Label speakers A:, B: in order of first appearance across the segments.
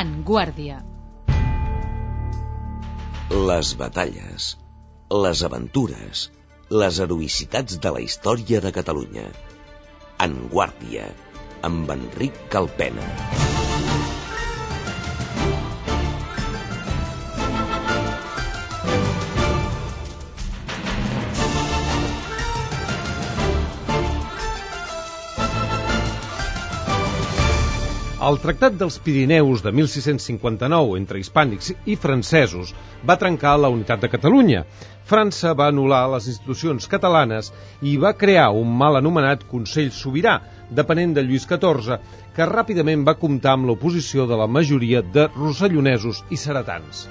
A: En Guàrdia.
B: Les batalles, les aventures, les heroïcitats de la història de Catalunya. En Guàrdia, amb Enric Calpena.
C: El Tractat dels Pirineus de 1659 entre hispànics i francesos va trencar la unitat de Catalunya. França va anul·lar les institucions catalanes i va crear un mal anomenat Consell Sobirà, depenent de Lluís XIV, que ràpidament va comptar amb l'oposició de la majoria de rossellonesos i ceretans.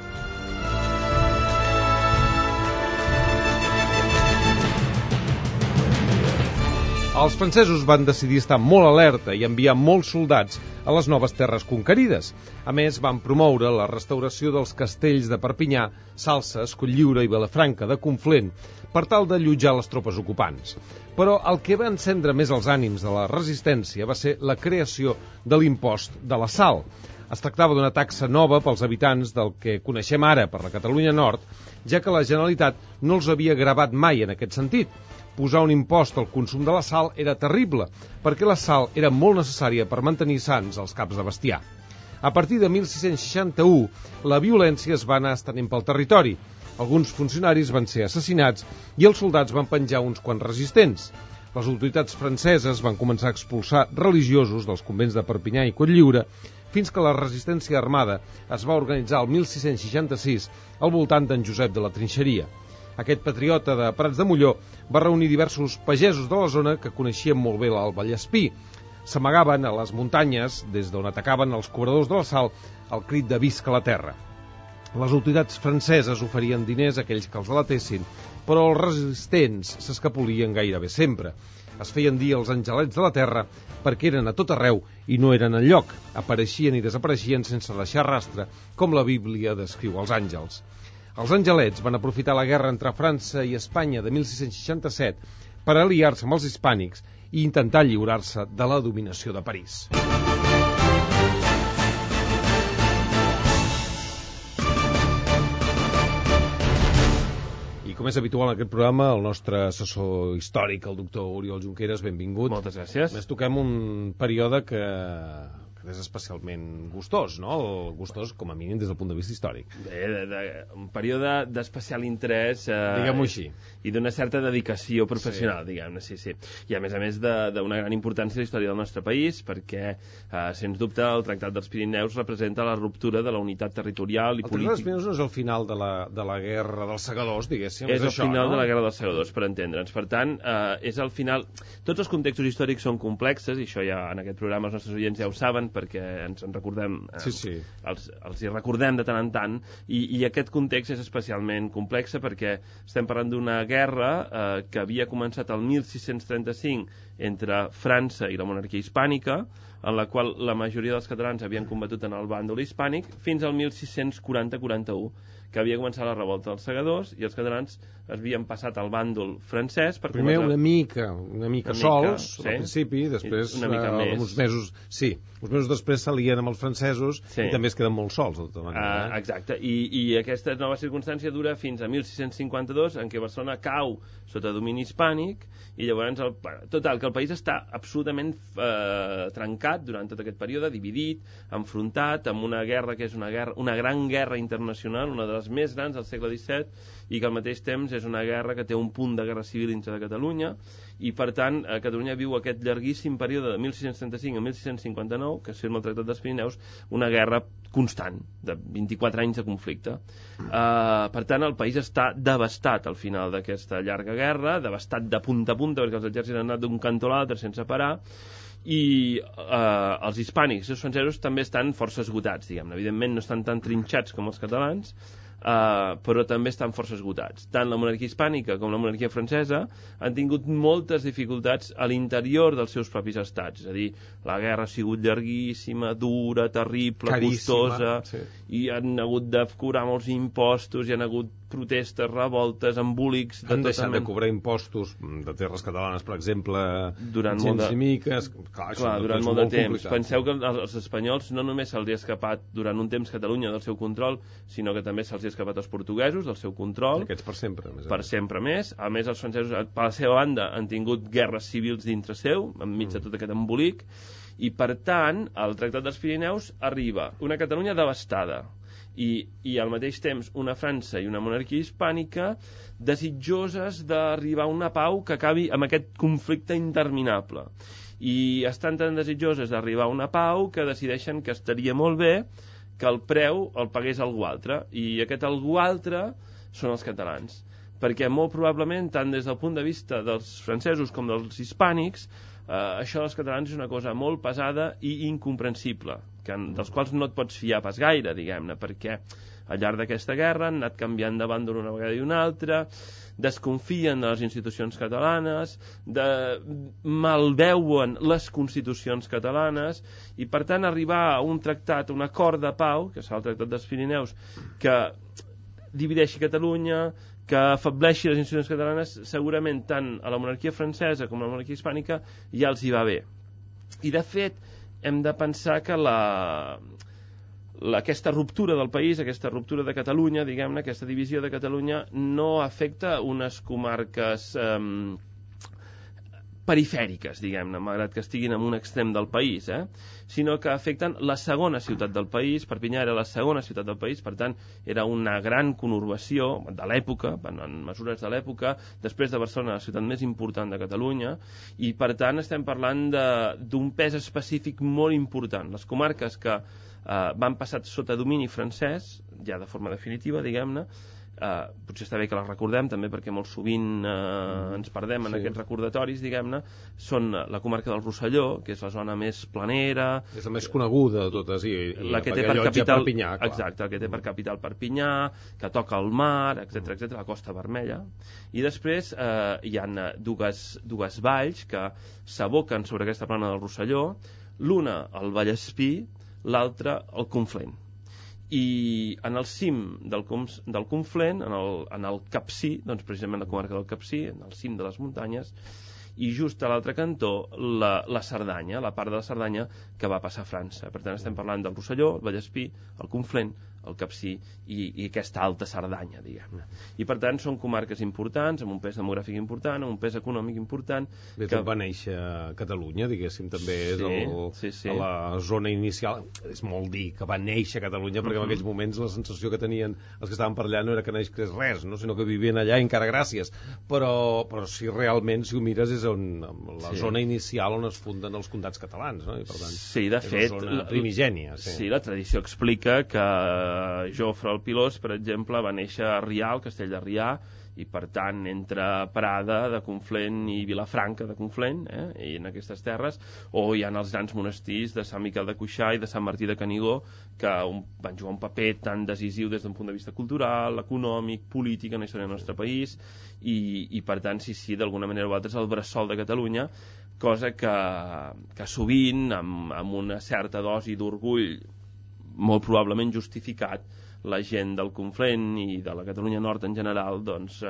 C: Els francesos van decidir estar molt alerta i enviar molts soldats a les noves terres conquerides. A més, van promoure la restauració dels castells de Perpinyà, Salses, Cotlliure i Vilafranca de Conflent per tal d'allotjar les tropes ocupants. Però el que va encendre més els ànims de la resistència va ser la creació de l'impost de la sal. Es tractava d'una taxa nova pels habitants del que coneixem ara per la Catalunya Nord, ja que la Generalitat no els havia gravat mai en aquest sentit. Posar un impost al consum de la sal era terrible, perquè la sal era molt necessària per mantenir sans els caps de bestiar. A partir de 1661, la violència es va anar estenent pel territori. Alguns funcionaris van ser assassinats i els soldats van penjar uns quants resistents. Les autoritats franceses van començar a expulsar religiosos dels convents de Perpinyà i Cotlliure, fins que la resistència armada es va organitzar el 1666 al voltant d'en Josep de la Trinxeria. Aquest patriota de Prats de Molló va reunir diversos pagesos de la zona que coneixien molt bé l'Alt Vallespí. S'amagaven a les muntanyes, des d'on atacaven els cobradors de la sal, al crit de visca la terra. Les autoritats franceses oferien diners a aquells que els delatessin, però els resistents s'escapolien gairebé sempre. Es feien dir els angelets de la terra perquè eren a tot arreu i no eren enlloc. Apareixien i desapareixien sense deixar rastre, com la Bíblia descriu els àngels. Els angelets van aprofitar la guerra entre França i Espanya de 1667 per aliar-se amb els hispànics i intentar lliurar-se de la dominació de París. I com és habitual en aquest programa, el nostre assessor històric, el doctor Oriol Junqueras, benvingut.
D: Moltes gràcies.
C: Més toquem un període que és especialment gustós, no? Gustós, com a mínim, des del punt de vista històric.
D: Un període d'especial interès
C: diguem-ho així.
D: I d'una certa dedicació professional, diguem-ne, sí. I a més d'una gran importància a la història del nostre país, perquè, sens dubte, el Tractat dels Pirineus representa la ruptura de la unitat territorial i política.
C: El Tractat dels Pirineus no és el final de la guerra dels segadors, diguéssim.
D: És el final de la guerra dels segadors, per entendre'ns. Per tant, és el final... Tots els contextos històrics són complexes, i això ja en aquest programa els nostres oients ja ho saben, perquè ens en recordem, els hi recordem de tant en tant, i aquest context és especialment complex perquè estem parlant d'una guerra que havia començat el 1635 entre França i la monarquia hispànica, en la qual la majoria dels catalans havien combatut en el bàndol hispànic, fins al 1640-41, que havia començat la revolta dels segadors i els catalans havien passat al bàndol francès per
C: primer una mica sols, al principi, després
D: una mica més.
C: Uns mesos després s'alien amb els francesos i també es queden molt sols de tota manera.
D: Exacte, i aquesta nova circumstància dura fins a 1652, en què Barcelona cau sota domini hispànic, i llavors total, que el país està absolutament trencat durant tot aquest període, dividit, enfrontat amb una guerra que és una gran guerra internacional, una de les més grans del segle XVII, i que al mateix temps és una guerra que té un punt de guerra civil dintre de Catalunya, i per tant Catalunya viu aquest llarguíssim període de 1635 a 1659, que es firma el Tractat dels Pirineus, una guerra constant, de 24 anys de conflicte. Per tant, el país està devastat al final d'aquesta llarga guerra, devastat de punta a punta, perquè els exèrcits han anat d'un cantó a l'altre sense parar, i els hispànics i els francesos també estan força esgotats, diguem-ne. Evidentment no estan tan trinxats com els catalans, però també estan força esgotats. Tant la monarquia hispànica com la monarquia francesa han tingut moltes dificultats a l'interior dels seus propis estats. És a dir, la guerra ha sigut llarguíssima, dura, terrible,
C: caríssima,
D: costosa,
C: sí.
D: I han hagut de cobrar molts impostos, hi han hagut protestes, revoltes, embolics...
C: Han deixat de cobrar impostos de terres catalanes, per exemple,
D: durant
C: gens i miques...
D: Clar, durant molt de temps. Penseu que als espanyols no només se'ls ha escapat durant un temps Catalunya del seu control, sinó que també se'ls ha escapat als portuguesos del seu control.
C: Aquests per sempre.
D: Per sempre més. A més, els francesos, per la seva banda, han tingut guerres civils dintre seu, enmig de tot aquest embolic, i per tant, al Tractat dels Pirineus arriba una Catalunya devastada, i al mateix temps una França i una monarquia hispànica desitjoses d'arribar a una pau que acabi amb aquest conflicte interminable. I estan tan desitjoses d'arribar a una pau que decideixen que estaria molt bé que el preu el pagués algú altre, i aquest algú altre són els catalans. Perquè molt probablement, tant des del punt de vista dels francesos com dels hispànics, això dels catalans és una cosa molt pesada i incomprensible, dels quals no et pots fiar pas gaire, diguem-ne, perquè al llarg d'aquesta guerra han anat canviant de bàndol una vegada i una altra, desconfien de les institucions catalanes, malveuen les constitucions catalanes, i per tant arribar a un tractat, un acord de pau, que serà el Tractat dels Pirineus, que divideixi Catalunya, que afableixi les institucions catalanes, segurament tant a la monarquia francesa com a la monarquia hispànica ja els hi va bé. I de fet hem de pensar que aquesta ruptura del país, aquesta ruptura de Catalunya, diguem-ne, aquesta divisió de Catalunya no afecta unes comarques perifèriques, diguem-ne, malgrat que estiguin en un extrem del país, sinó que afecten la segona ciutat del país. Perpinyà era la segona ciutat del país, per tant, era una gran conurbació de l'època, en mesures de l'època, després de Barcelona, la ciutat més important de Catalunya, i per tant estem parlant d'un pes específic molt important. Les comarques que van passar sota domini francès, ja de forma definitiva, diguem-ne, potser està bé que les recordem també perquè molt sovint ens perdem en aquests recordatoris, diguem-ne, són la comarca del Rosselló, que és la zona més planera,
C: és la més coneguda de totes,
D: la que té per capital
C: Perpinyà,
D: exacte, la que té per capital Perpinyà, que toca el mar, etc, la Costa Vermella, i després hi ha dues valls que s'aboquen sobre aquesta plana del Rosselló, l'una el Vallespí, l'altra el Conflent. I en el cim del Conflent, en el Capcir, doncs precisament la comarca del Capcir, en el cim de les muntanyes, i just a l'altre cantó la Cerdanya, la part de la Cerdanya que va passar a França. Per tant, estem parlant del Rosselló, el Vallespí, el Conflent, el Capcir i aquesta alta Cerdanya, diguem-ne. I per tant són comarques importants, amb un pes demogràfic important, amb un pes econòmic important.
C: Bé, que va néixer Catalunya, diguéssim, també és a la zona inicial. És molt dir que va néixer Catalunya, perquè en aquells moments la sensació que tenien els que estaven per allà no era que naixés res, no? Sinó que vivien allà encara gràcies. Però si realment, si ho mires, és la zona inicial on es funden els comtats catalans, no? I per tant,
D: de fet,
C: és una zona primigènia.
D: Sí, la tradició explica que Jofre el Pilós, per exemple, va néixer a Rià, al castell de Rià, i per tant entre Prada de Conflent i Vilafranca de Conflent, i en aquestes terres, o hi ha els grans monestirs de Sant Miquel de Cuixà i de Sant Martí de Canigó, que van jugar un paper tan decisiu des d'un punt de vista cultural, econòmic, polític en la història del nostre país, i per tant, sí, d'alguna manera o altra és el bressol de Catalunya, cosa que sovint, amb una certa dosi d'orgull molt probablement justificat, la gent del Conflent i de la Catalunya Nord en general doncs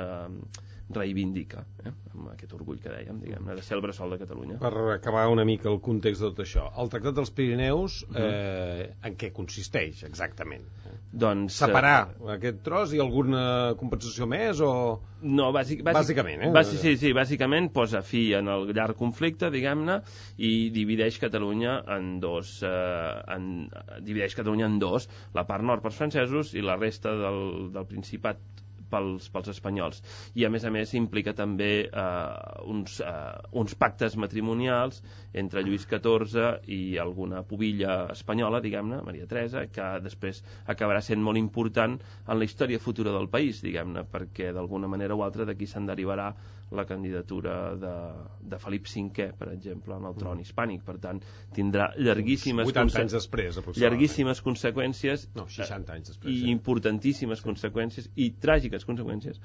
D: reivindica, amb aquest orgull que dèiem, diguem-ne, de ser el bressol de Catalunya.
C: Per acabar una mica el context de tot això, el Tractat dels Pirineus en què consisteix exactament?
D: Doncs
C: separar aquest tros i alguna compensació més o...?
D: No,
C: bàsicament,
D: Sí, bàsicament posa fi en el llarg conflicte, diguem-ne, i divideix Catalunya en dos, la part nord pels francesos i la resta del Principat pels espanyols. I a més implica també uns pactes matrimonials entre Lluís XIV i alguna pubilla espanyola, diguem-ne, Maria Teresa, que després acabarà sent molt important en la història futura del país, diguem-ne, perquè d'alguna manera o altra d'aquí se'n derivarà la candidatura de Felip V, per exemple, en el tron hispànic. Per tant, tindrà llarguíssimes
C: 80 anys després, aproximadament.
D: Llarguíssimes conseqüències,
C: 60 anys després,
D: i importantíssimes conseqüències i tràgiques conseqüències,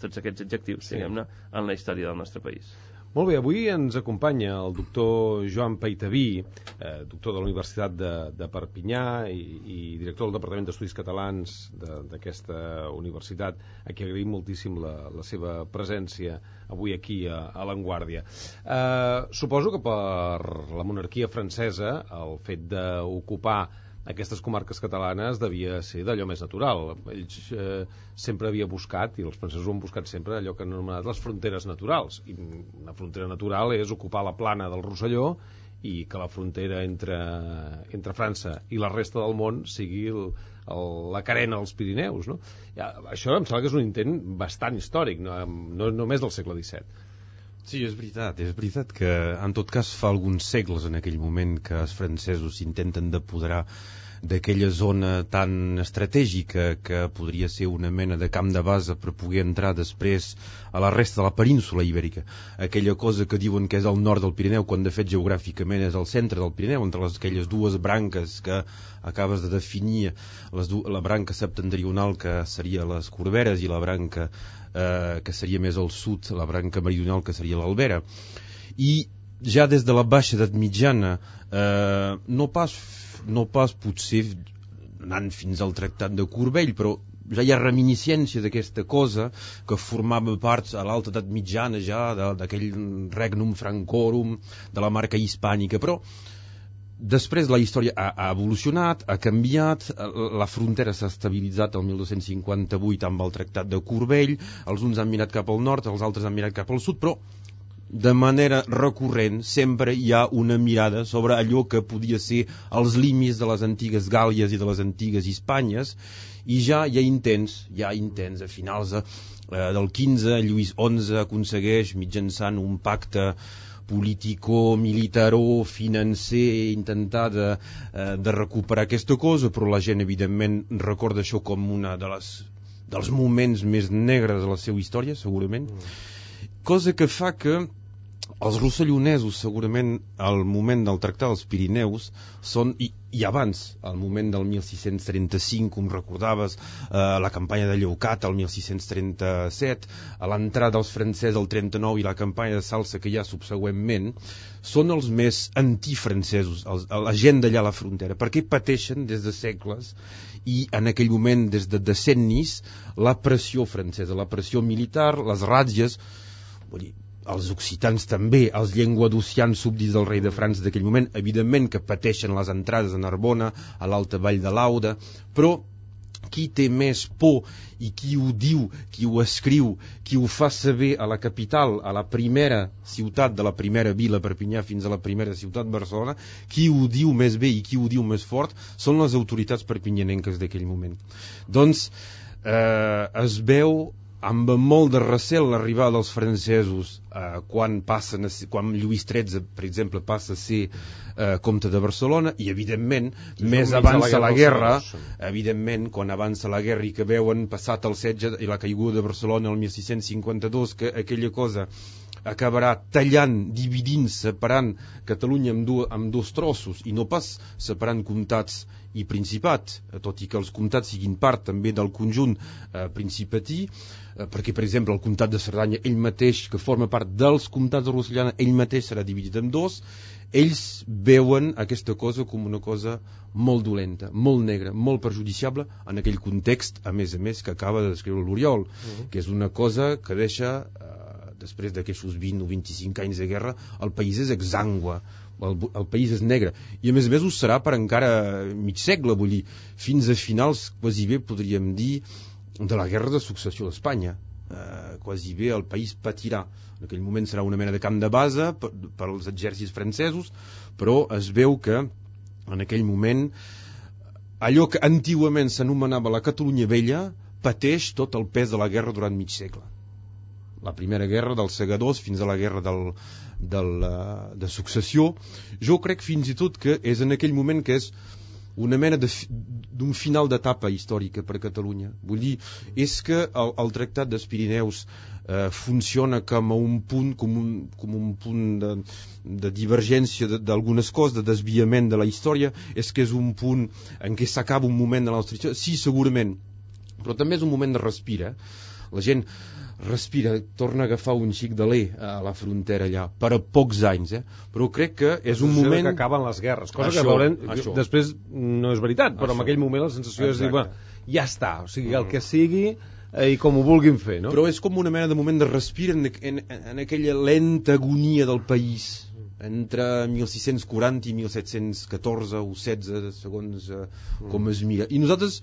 D: tots aquests adjectius, diguem-ne, en la història del nostre país.
C: Molt bé, avui ens acompanya el doctor Joan Peitaví, doctor de la Universitat de Perpinyà i director del Departament d'Estudis Catalans d'aquesta universitat, a qui agraïm moltíssim la seva presència avui aquí a L'Enguàrdia. Suposo que per la monarquia francesa el fet d'ocupar aquestes comarques catalanes devia ser d'allò més natural. Ells sempre havia buscat, i els francesos ho han buscat sempre, allò que han anomenat les fronteres naturals. I una frontera natural és ocupar la plana del Rosselló i que la frontera entre França i la resta del món sigui la carena dels Pirineus, no? Això em sembla que és un intent bastant històric, no només del segle XVII.
A: Sí, és veritat que en tot cas fa alguns segles en aquell moment que els francesos s'intenten d'apoderar d'aquella zona tan estratègica que podria ser una mena de camp de base per poder entrar després a la resta de la península ibèrica. Aquella cosa que diuen que és al nord del Pirineu, quan de fet geogràficament és al centre del Pirineu, entre aquelles dues branques que acabes de definir, la branca septentrional que seria les Corberes i la branca que seria més al sud, la branca meridional que seria l'Albera. I ja des de la baixa edat mitjana, no pas potser anant fins al tractat de Corbell, però ja hi ha reminiscència d'aquesta cosa que formava part a l'alta edat mitjana ja d'aquell regnum francorum de la marca hispànica, però després la història ha evolucionat, ha canviat, la frontera s'ha estabilitzat el 1258 amb el tractat de Corbell, els uns han mirat cap al nord, els altres han mirat cap al sud, però de manera recurrent sempre hi ha una mirada sobre allò que podia ser els límits de les antigues Gàl·lies i de les antigues Hispànies, i ja hi ha intents a finals del XV, Lluís XI aconsegueix mitjançant un pacte político-militaró, financer, intentar de recuperar aquesta cosa, però la gent evidentment recorda això com una dels moments més negres de la seva història, segurament, cosa que fa que els rossellonesos, segurament, al moment del Tractat dels Pirineus, són, i abans, al moment del 1635, com recordaves, la campanya de Leucat, el 1637, a l'entrada dels francesos el 39 i la campanya de Salsa que hi ha subsegüentment, són els més antifrancesos, la gent d'allà a la frontera, perquè pateixen des de segles i en aquell moment, des de decennis, la pressió francesa, la pressió militar, les ràtzies, vull dir, els occitans també, els llenguadocians súbdits del rei de França d'aquell moment, evidentment que pateixen les entrades a Narbona, a l'alta vall de l'Auda, però qui té més por i qui ho diu, qui ho escriu, qui ho fa saber a la capital, a la primera ciutat de la primera vila Perpinyà fins a la primera ciutat Barcelona, qui ho diu més bé i qui ho diu més fort són les autoritats perpinyanenques d'aquell moment. Doncs es veu amb molt de recel l'arribada dels francesos quan Lluís XIII, per exemple, passa a ser comte de Barcelona, i evidentment més avança la guerra, evidentment quan avança la guerra i que veuen passat el setge i la caiguda de Barcelona el 1652, que aquella cosa acabarà tallant, dividint, separant Catalunya amb dos trossos, i no pas separant comtats i principat, tot i que els comtats siguin part també del conjunt principatí, perquè, per exemple, el comtat de Cerdanya, ell mateix, que forma part dels comtats de Rossellana, ell mateix serà dividit en dos. Ells veuen aquesta cosa com una cosa molt dolenta, molt negra, molt perjudiciable en aquell context, a més, que acaba de descriure l'Oriol, que és una cosa que deixa, després d'aquests 20 o 25 anys de guerra, el país és exangüe, el país és negre, i a més ho serà per encara mig segle, vull dir, fins a finals, quasi bé podríem dir, de la guerra de successió d'Espanya. Quasi bé el país patirà. En aquell moment serà una mena de camp de base per als exèrcits francesos, però es veu que en aquell moment allò que antigament s'anomenava la Catalunya Vella pateix tot el pes de la guerra durant mig segle. La primera guerra dels segadors fins a la guerra de successió. Jo crec fins i tot que és en aquell moment que és una mena d'un final d'etapa històrica per a Catalunya. Vull dir, és que el Tractat dels Pirineus funciona com un punt, com un punt de divergència d'algunes coses, de desviament de la història. És que és un punt en què s'acaba un moment de la nostra història? Sí, segurament, però també és un moment de respirar. La gent respira, torna a agafar un xic d'alè a la frontera allà, per a pocs anys, però crec que és un moment...
C: que acaben les guerres, cosa que veurem després no és veritat, però en aquell moment la sensació és dir, ja està, o sigui, el que sigui i com ho vulguin fer, no?
A: Però és com una mena de moment de respir en aquella lenta agonia del país entre 1640 i 1714 o 16, segons com es mira. I nosaltres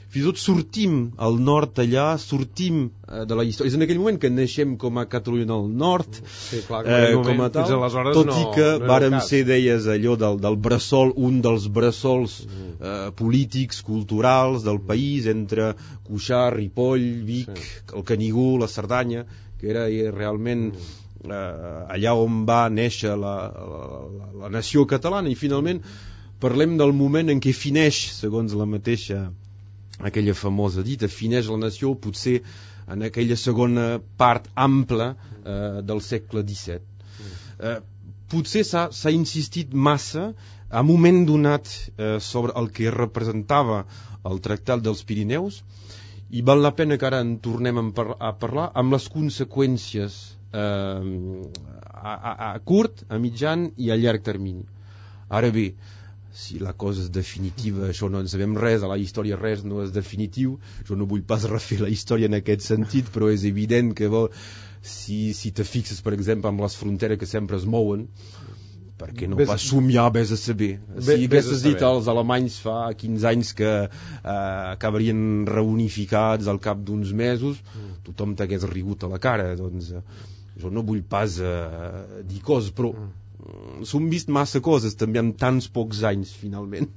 A: fins i tot sortim al nord allà, sortim de la història. És en aquell moment que naixem com a Catalunya del Nord,
C: sí, clar,
A: com a tal, tot i que vàrem ser, deies, allò del bressol, un dels bressols polítics, culturals del país, entre Cuixà, Ripoll, Vic, el Canigó, la Cerdanya, que era realment allà on va néixer la nació catalana. I finalment parlem del moment en què fineix, segons la mateixa aquella famosa dita, fineix la nació potser en aquella segona part ampla del segle XVII. Potser s'ha insistit massa a un moment donat sobre el que representava el Tractat dels Pirineus, i val la pena que ara en tornem a parlar amb les conseqüències a curt, a mitjan i a llarg termini. Ara bé, si la cosa és definitiva, això no en sabem res, a la història res no és definitiu. Jo no vull pas refer la història en aquest sentit, però és evident que si te fixes, per exemple, amb les fronteres que sempre es mouen, perquè no pas somiar, vés a saber. Si haguessis dit als alemanys fa 15 anys que acabarien reunificats al cap d'uns mesos, tothom t'hagués rigut a la cara. Doncs jo no vull pas dir coses, però s'han vist massa coses també en tants pocs anys, finalment.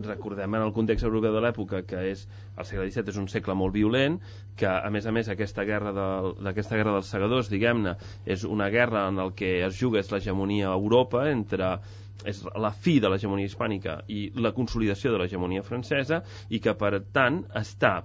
D: Recordem en el context europeu de l'època que el segle XVII és un segle molt violent, que a més aquesta guerra dels segadors, diguem-ne, és una guerra en el que es juga l'hegemonia a Europa, és la fi de l'hegemonia hispànica i la consolidació de l'hegemonia francesa, i que per tant està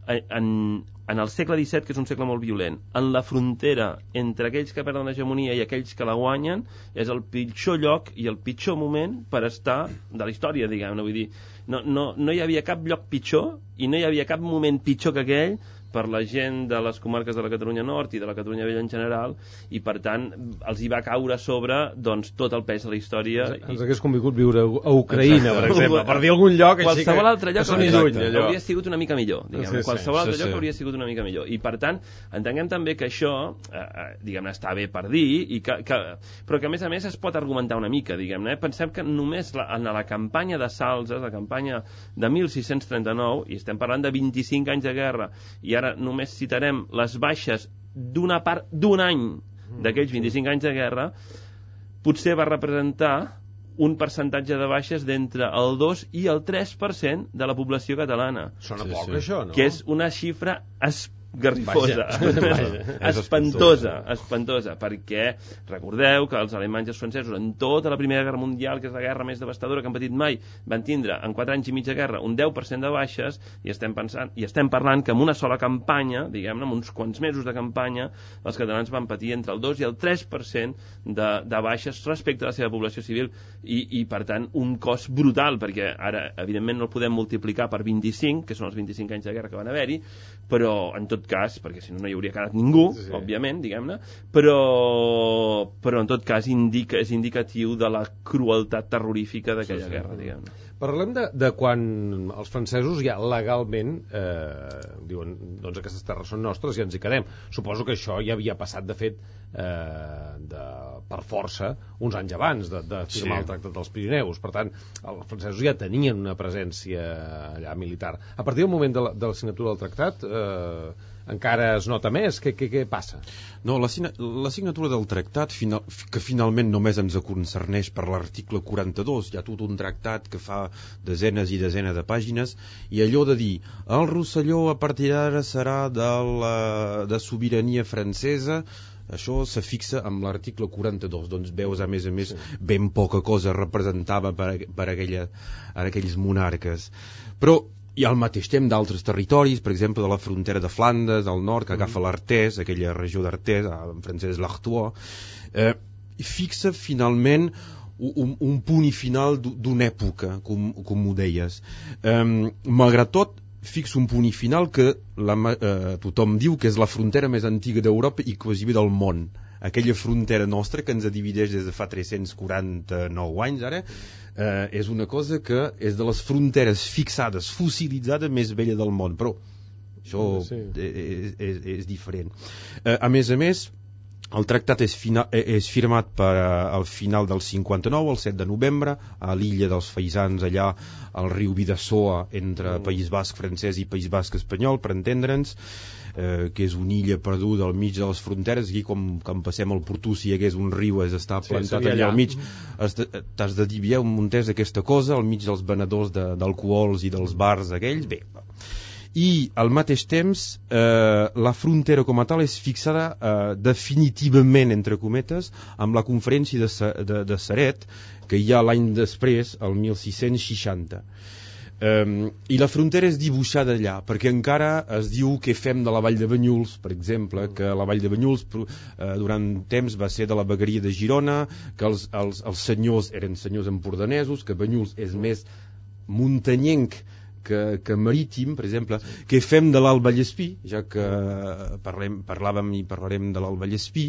D: en el segle XVII, que és un segle molt violent, en la frontera entre aquells que perden l'hegemonia i aquells que la guanyen, és el pitjor lloc i el pitjor moment per estar de la història, diguem-ne. Vull dir, no hi havia cap lloc pitjor i no hi havia cap moment pitjor que aquell per la gent de les comarques de la Catalunya Nord i de la Catalunya Vella en general, i per tant els hi va caure a sobre tot el pes de la història.
C: Ens hagués convingut viure a Ucraïna, per exemple, per dir algun lloc així
D: qualsevol altre lloc hauria sigut una mica millor, qualsevol altre lloc hauria sigut una mica millor, i per tant entenguem també que això diguem-ne està bé per dir, però que a més es pot argumentar una mica, diguem-ne. Pensem que només en la campanya de Salses, la campanya de 1639, i estem parlant de 25 anys de guerra, i ara només citarem les baixes d'una part d'un any d'aquells 25 anys de guerra, potser va representar un percentatge de baixes d'entre el 2 i el 3% de la població catalana.
C: Sona poc, això, no?
D: Que és una xifra garrifosa, espantosa, perquè recordeu que els alemanys i els francesos en tota la Primera Guerra Mundial, que és la guerra més devastadora que han patit mai, van tindre en 4 anys i mig de guerra un 10% de baixes, i estem parlant que en una sola campanya, diguem-ne, en uns quants mesos de campanya, els catalans van patir entre el 2 i el 3% de baixes respecte a la seva població civil, i per tant un cost brutal, perquè ara evidentment no el podem multiplicar per 25, que són els 25 anys de guerra que van haver-hi, però en tot cas, perquè si no hi hauria quedat ningú, òbviament, diguem-ne, però en tot cas és indicatiu de la crueltat terrorífica d'aquella guerra, diguem-ne.
C: Parlem de quan els francesos ja legalment diuen, doncs aquestes terres són nostres i ens hi quedem. Suposo que això ja havia passat, de fet, per força, uns anys abans de firmar el Tractat dels Pirineus. Per tant, els francesos ja tenien una presència allà militar. A partir del moment de la signatura del tractat, encara es nota més? Què passa?
A: No, la signatura del tractat, que finalment només ens concerneix per l'article 42, hi ha tot un tractat que fa desenes i desenes de pàgines, i allò de dir, el Rosselló a partir d'ara serà de sobirania francesa, això se fixa amb l'article 42, doncs veus a més ben poca cosa representava per aquells monarques. Però i al mateix temps d'altres territoris, per exemple de la frontera de Flandes, al nord, que agafa l'Artés, aquella regió d'Artés, en francès l'Artois, fixa finalment un punt i final d'una època, com ho deies. Malgrat tot, fixa un punt i final que tothom diu que és la frontera més antiga d'Europa i quasi del món. Aquella frontera nostra que ens divideix des de fa 349 anys ara, és una cosa que és de les fronteres fixades, fossilitzades més vella del món, però això és diferent. A més, el tractat és firmat al final del 59, el 7 de novembre, a l'illa dels Faisans, allà al riu Bidasoa, entre País Basc francès i País Basc espanyol, per entendre'ns, que és una illa perduda al mig de les fronteres. Aquí, com passem al Portú, si hi hagués un riu està plantat allà al mig, t'has de dir, un muntès aquesta cosa al mig dels venedors d'alcohols i dels bars aquells. Bé, i al mateix temps la frontera com a tal és fixada definitivament, entre cometes, amb la conferència de Ceret, que hi ha l'any després, el 1660. I la frontera és dibuixada allà, perquè encara es diu què fem de la Vall de Banyuls, per exemple, que la Vall de Banyuls durant temps va ser de la vegueria de Girona, que els senyors eren senyors empordanesos, que Banyuls és més muntanyenc que marítim, per exemple. Què fem de l'Alt Vallespí, ja que parlàvem i parlarem de l'Alt Vallespí,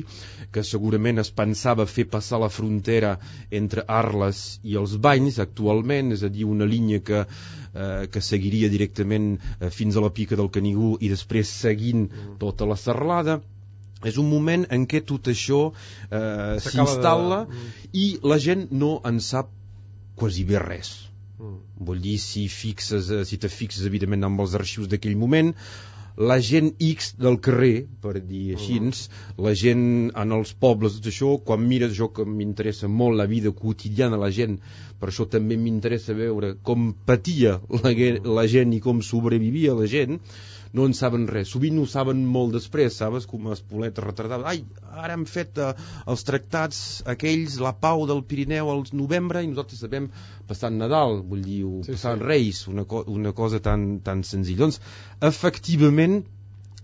A: que segurament es pensava fer passar la frontera entre Arles i els Banys actualment, és a dir, una línia que seguiria directament fins a la Pica del Canigó i després seguint tota la serralada. És un moment en què tot això s'instal·la i la gent no en sap quasi bé res. Vull dir, si te fixes evidentment amb els arxius d'aquell moment, la gent X del carrer, per dir així, la gent en els pobles, tot això, quan mires això que m'interessa molt, la vida quotidiana, la gent, per això també m'interessa veure com patia la gent i com sobrevivia la gent, no en saben res. Sovint ho saben molt després, saps? Com Espoleta retardava. Ai, ara hem fet els tractats aquells, la pau del Pirineu al novembre i nosaltres sabem passant Nadal, vull dir, passant Reis, una cosa tan senzilla. Doncs, efectivament,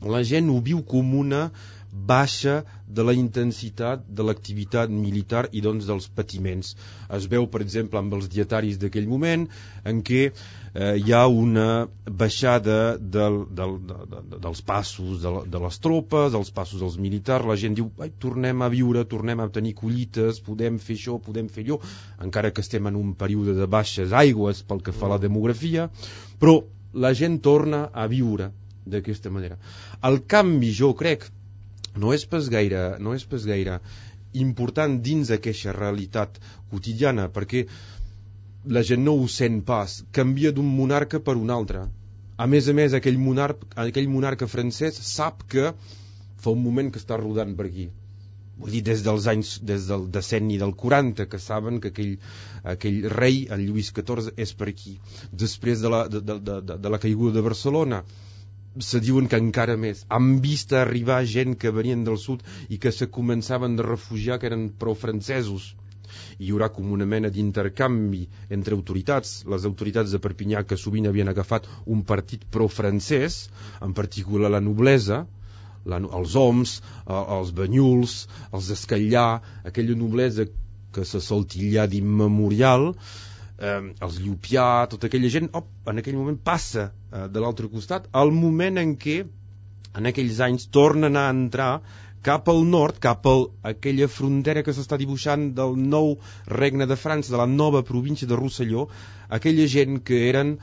A: la gent ho viu com una baixa de la intensitat de l'activitat militar i doncs dels patiments. Es veu, per exemple, amb els dietaris d'aquell moment en què hi ha una baixada dels passos de les tropes, dels passos dels militars. La gent diu, tornem a viure, tornem a tenir collites, podem fer això, podem fer allò, encara que estem en un període de baixes aigües pel que fa a la demografia, però la gent torna a viure d'aquesta manera. El canvi, jo crec, no és pas gaire important dins d'aquesta realitat quotidiana, perquè la gent no ho sent pas, canvia d'un monarca per un altre. A més, aquell monarca francès sap que fa un moment que està rodant per aquí. Vull dir, des del decenni del 40, que saben que aquell rei, el Lluís XIV, és per aquí. Després de la caiguda de Barcelona, se diuen que encara més. Han vist arribar gent que venien del sud i que se començaven de refugiar, que eren pro-francesos. Hi haurà com una mena d'intercanvi entre autoritats. Les autoritats de Perpinyà, que sovint havien agafat un partit pro-francès, en particular la noblesa, els homs, els Banyuls, els Escallà, aquella noblesa que se soltillar d'immemorial, els Llupià, tota aquella gent, en aquell moment passa de l'altre costat, al moment en què en aquells anys tornen a entrar cap al nord, cap a aquella frontera que s'està dibuixant del nou regne de França, de la nova província de Rosselló, aquella gent que eren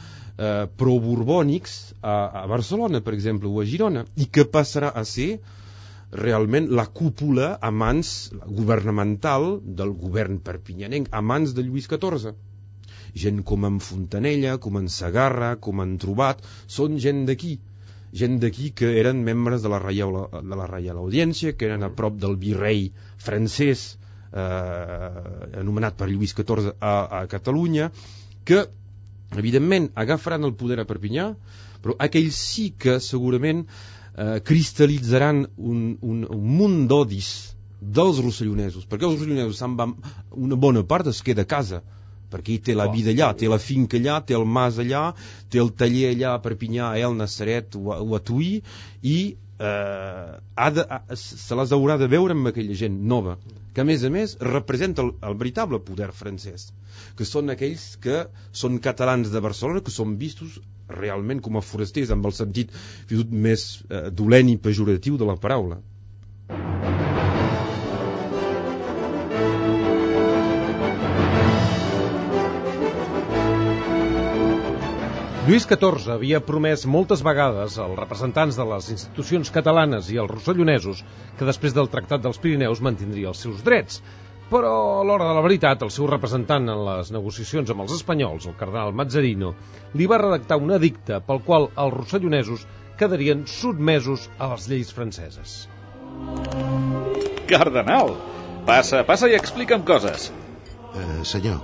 A: pro-borbònics a Barcelona, per exemple, o a Girona, i que passarà a ser realment la cúpula a mans governamental del govern perpinyanenc, a mans de Lluís XIV. Gent com en Fontanella, com en Segarra, com en Trobat, són gent d'aquí que eren membres de la Reial Audiència, que eren a prop del virrei francès anomenat per Lluís XIV a Catalunya, que evidentment agafaran el poder a Perpinyà, però aquells sí que segurament cristal·litzaran un munt d'odis dels rossellonesos, perquè els rossellonesos se'n van, una bona part es queda a casa, perquè té la vida allà, té la finca allà, té el mas allà, té el taller allà a Perpinyà, a El Nassaret o a Tuí, i se les haurà de veure amb aquella gent nova, que a més representa el veritable poder francès, que són aquells que són catalans de Barcelona, que són vistos realment com a forasters, amb el sentit més dolent i pejoratiu de la paraula.
C: Lluís XIV havia promès moltes vegades als representants de les institucions catalanes i als rossellonesos que després del Tractat dels Pirineus mantindria els seus drets. Però a l'hora de la veritat, el seu representant en les negociacions amb els espanyols, el cardenal Mazzarino, li va redactar un edicte pel qual els rossellonesos quedarien sotmesos a les lleis franceses.
E: Cardenal, passa i explica'm coses.
F: Senyor,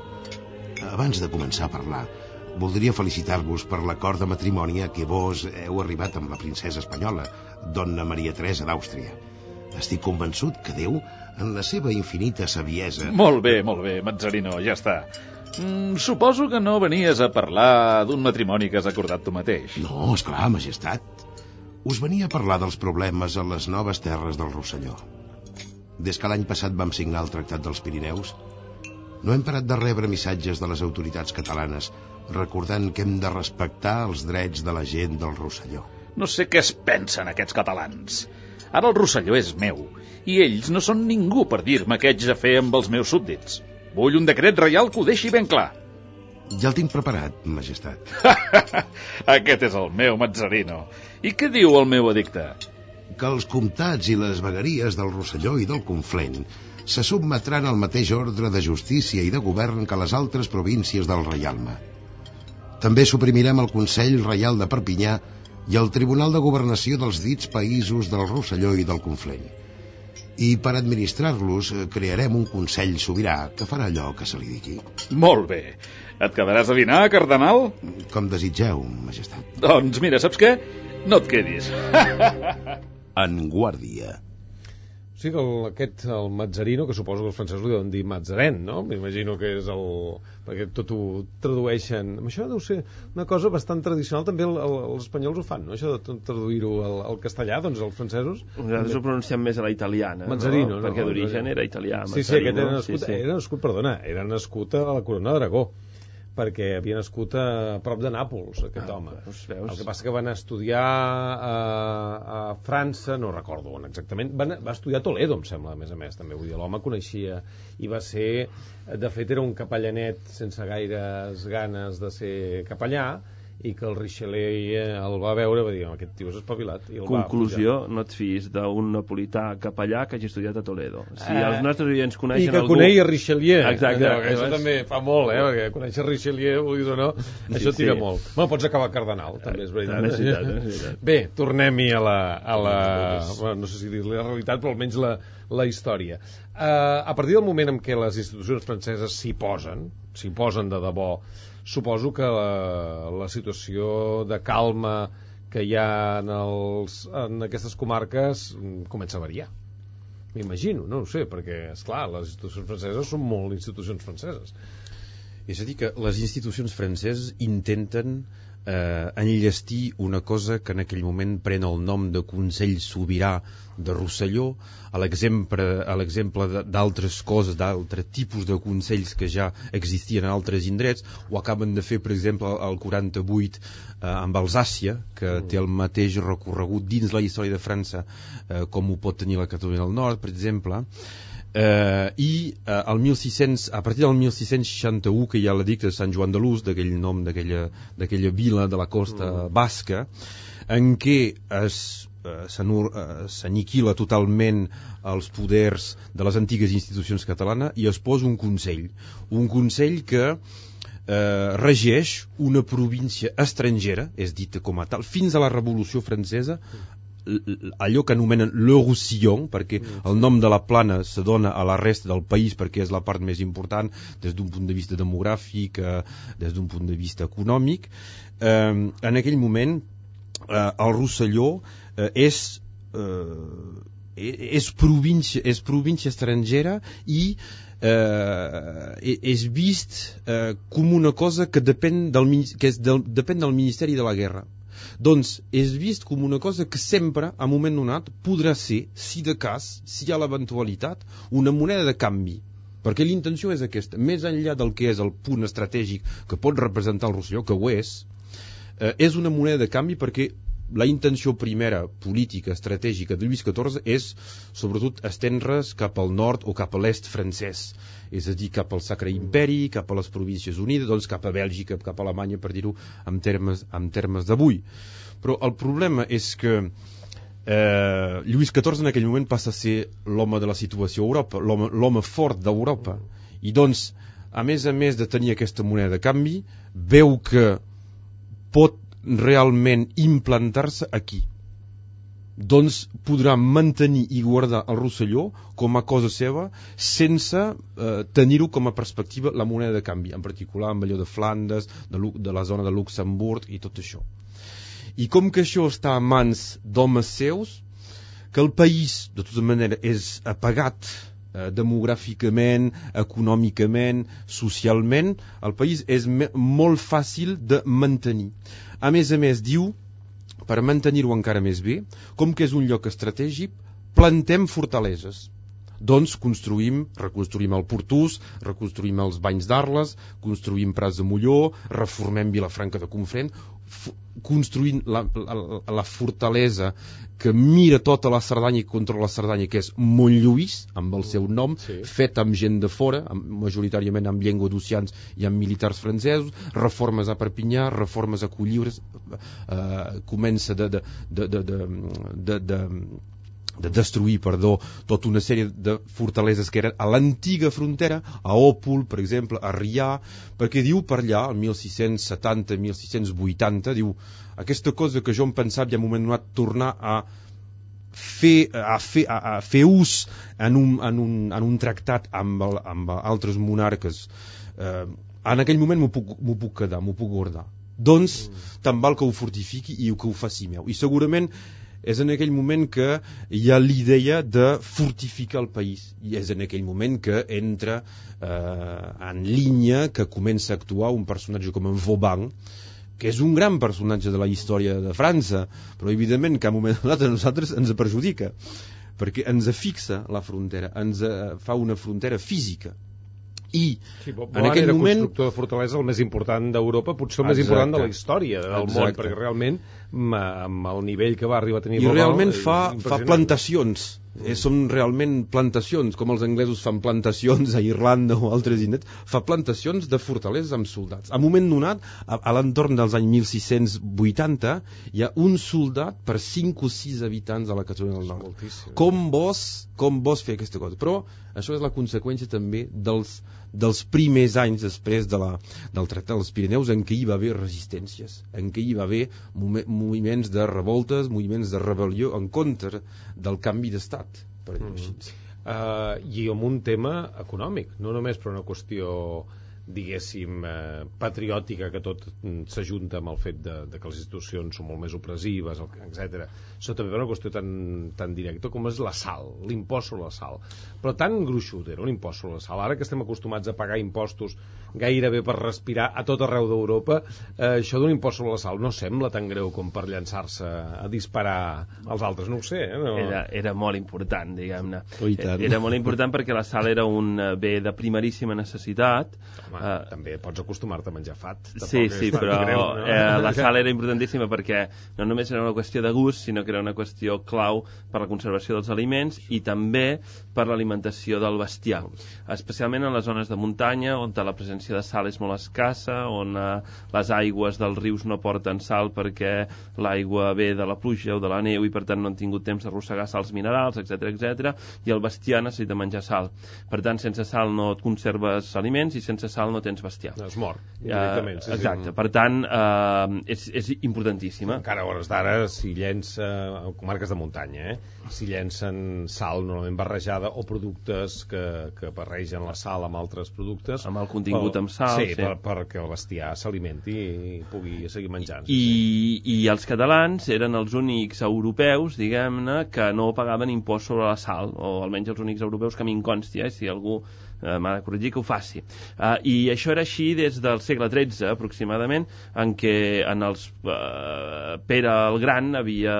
F: abans de començar a parlar, voldria felicitar-vos per l'acord de matrimoni a què vos heu arribat amb la princesa espanyola, dona Maria Teresa d'Àustria. Estic convençut que Déu, en la seva infinita saviesa...
E: Molt bé, Mazzarino, ja està. Suposo que no venies a parlar d'un matrimoni que has acordat tu mateix.
F: No, esclar, majestat. Us venia a parlar dels problemes a les noves terres del Rosselló. Des que l'any passat vam signar el Tractat dels Pirineus, no hem parat de rebre missatges de les autoritats catalanes recordant que hem de respectar els drets de la gent del Rosselló.
E: No sé què es pensen aquests catalans. Ara el Rosselló és meu, i ells no són ningú per dir-me què haig de fer amb els meus súbdits. Vull un decret reial que ho deixi ben clar.
F: Ja el tinc preparat, majestat.
E: Aquest és el meu Mazzarino. I què diu el meu edicte?
F: Que els comtats i les vegueries del Rosselló i del Conflent se submetran al mateix ordre de justícia i de govern que les altres províncies del reialme. També suprimirem el Consell Reial de Perpinyà i el Tribunal de Governació dels dits països del Rosselló i del Conflent. I per administrar-los crearem un Consell Sobirà que farà allò que se li digui.
E: Molt bé. Et quedaràs a dinar, cardenal?
F: Com desitgeu, majestat.
E: Doncs mira, saps què? No et quedis.
B: En guàrdia.
C: Sí, que el Mazzarino, que suposo que els francesos li deuen dir Mazarin, no? M'imagino que és perquè tot ho tradueixen. Això deu ser una cosa bastant tradicional, també els espanyols ho fan, no? Això de traduir-ho al castellà, doncs els francesos...
D: Nosaltres ho pronunciem més a la italiana,
C: Mazzarino,
D: no? Perquè d'origen era italià.
C: Sí, aquest era nascut a la Corona d'Aragó, perquè havia nascut a prop de Nàpols, aquest home.
D: Veus?
C: El que passa que va anar a estudiar a França, no recordo on exactament, va estudiar a Toledo, em sembla, a més, també, vull dir, l'home coneixia, i va ser, de fet, era un capellanet sense gaires ganes de ser capellà, i que el Richelieu el va veure i va dir, aquest tio és espavilat. I
D: conclusió, no et fiïs d'un napolità capellà que hagi estudiat a Toledo. Si els nostres oients coneixen
C: algú... I que
D: algú...
C: conegui Richelieu.
D: Exacte.
C: Això també fa molt, perquè conèixer Richelieu, vulguis o no, això tira molt. Bueno, pots acabar cardenal, també és veritat.
D: És veritat.
C: Bé, tornem-hi a la no sé si dir-li la realitat, però almenys la història. A partir del moment en què les institucions franceses s'hi posen de debò, suposo que la situació de calma que hi ha en aquestes comarques comença a variar. M'imagino, no ho sé, perquè, esclar, les institucions franceses són molt institucions franceses.
A: És a dir, que les institucions franceses intenten enllestir una cosa que en aquell moment pren el nom de Consell Sobirà de Rosselló, a l'exemple d'altres coses, d'altres tipus de consells que ja existien en altres indrets. Ho acaben de fer, per exemple, el 48 amb Alsàcia, que té el mateix recorregut dins la història de França com ho pot tenir la Catalunya del Nord, per exemple. A partir del 1661, que hi ha l'edicte de Sant Joan de Luz, d'aquell nom d'aquella vila de la costa basca, en què s'aniquila totalment els poders de les antigues institucions catalanes i es posa un consell que regeix una província estrangera, és dita com a tal, fins a la Revolució Francesa, allò que anomenen le Roussillon, perquè el nom de la plana se dona a la resta del país perquè és la part més important des d'un punt de vista demogràfic, des d'un punt de vista econòmic. En aquell moment el Rosselló és província estrangera i és vist com una cosa que depèn del Ministeri de la Guerra. Doncs és vist com una cosa que sempre, a un moment donat, podrà ser, si de cas, si hi ha l'eventualitat, una moneda de canvi. Perquè l'intenció és aquesta. Més enllà del que és el punt estratègic que pot representar el Rosselló, que ho és una moneda de canvi perquè la intenció primera política estratègica de Lluís XIV és sobretot estendre's cap al nord o cap a l'est francès, és a dir, cap al Sacre Imperi, cap a les Províncies Unides, doncs cap a Bèlgica, cap a Alemanya, per dir-ho en termes d'avui. Però el problema és que Lluís XIV en aquell moment passa a ser l'home de la situació a Europa, l'home fort d'Europa, i doncs, a més de tenir aquesta moneda de canvi, veu que pot realment implantar-se aquí. Doncs podrà mantenir i guardar el Rosselló com a cosa seva sense tenir-ho com a perspectiva la moneda de canvi, en particular amb allò de Flandes, de la zona de Luxemburg i tot això. I com que això està a mans d'homes seus, que el país de tota manera és apagat demogràficament, econòmicament, socialment, el país és molt fàcil de mantenir. A més, diu, per mantenir-ho encara més bé, com que és un lloc estratègic, plantem fortaleses. Doncs reconstruïm el Portús, reconstruïm els Banys d'Arles, construïm Prats de Molló, reformem Vilafranca de Conflent, construint la fortalesa que mira tota la Cerdanya i controla la Cerdanya, que és Montlluís, amb el seu nom, fet amb gent de fora, majoritàriament amb llenguadocians i amb militars francesos, reformes a Perpinyà, reformes a Colliures, comença de destruir, tota una sèrie de fortaleses que eren a l'antiga frontera, a Òpol, per exemple, a Rià, perquè diu per allà, el 1670-1680, diu, aquesta cosa que jo em pensava ja en un moment donat tornar a fer ús en un tractat amb altres monarques, en aquell moment m'ho puc quedar, m'ho puc guardar. Doncs tant val que ho fortifiqui i que ho faci meu. I segurament és en aquell moment que hi ha l'idea de fortificar el país, i és en aquell moment que entra en línia, que comença a actuar un personatge com en Vauban, que és un gran personatge de la història de França, però evidentment que a un moment donat a nosaltres ens perjudica, perquè ens fixa la frontera, ens fa una frontera física. I en aquell
C: era
A: moment
C: constructor de fortalesa el més important d'Europa, potser el més important de la història del món, perquè realment amb el nivell que va arribar a tenir
A: i realment fa plantacions, són realment plantacions, com els anglesos fan plantacions a Irlanda o altres indrets, fa plantacions de fortaleses amb soldats. A un moment donat, a l'entorn dels anys 1680, hi ha un soldat per 5 o 6 habitants a la Catalunya del Nord. Com vols fer aquesta cosa? Però això és la conseqüència també dels primers anys després del Tractat dels Pirineus, en què hi va haver resistències, en què hi va haver moviments de revoltes, moviments de rebel·lió en contra del canvi d'estat, per dir-ho així.
C: I amb un tema econòmic, no només per una qüestió diguéssim patriòtica, que tot s'ajunta amb el fet de que les institucions són molt més opressives, etc. Això també és una qüestió tan directa com és la sal, l'impost sobre la sal, però tan gruixut era un impost sobre la sal. Ara que estem acostumats a pagar impostos gairebé per respirar a tot arreu d'Europa, això d'un impost sobre la sal no sembla tan greu com per llançar-se a disparar als altres, no ho sé, no?
D: Era molt important, diguem-ne. Era molt important perquè la sal era un bé de primeríssima necessitat.
C: També pots acostumar-te a menjar fat.
D: Sí, però la sal era importantíssima perquè no només era una qüestió de gust, sinó que era una qüestió clau per la conservació dels aliments i també per l'alimentació del bestiar, especialment en les zones de muntanya on la presència de sal és molt escassa, on les aigües dels rius no porten sal perquè l'aigua ve de la pluja o de la neu i per tant no han tingut temps d'arrossegar sals minerals, etc, i el bestiar necessita menjar sal. Per tant, sense sal no et conserves aliments i sense sal sal no tens bestiar.
C: Es mor, directament.
D: Exacte, per tant, és importantíssima.
C: Encara a hores d'ara, si llença, en comarques de muntanya, si llencen sal normalment barrejada o productes que barregen la sal amb altres productes...
D: Amb el contingut amb sal.
C: Sí, perquè el bestiar s'alimenti i pugui seguir menjant.
D: I els catalans eren els únics europeus, diguem-ne, que no pagaven impost sobre la sal, o almenys els únics europeus que a mi em consti, si algú m'ha de corregir que ho faci. I això era així des del segle XIII, aproximadament, en què Pere el Gran havia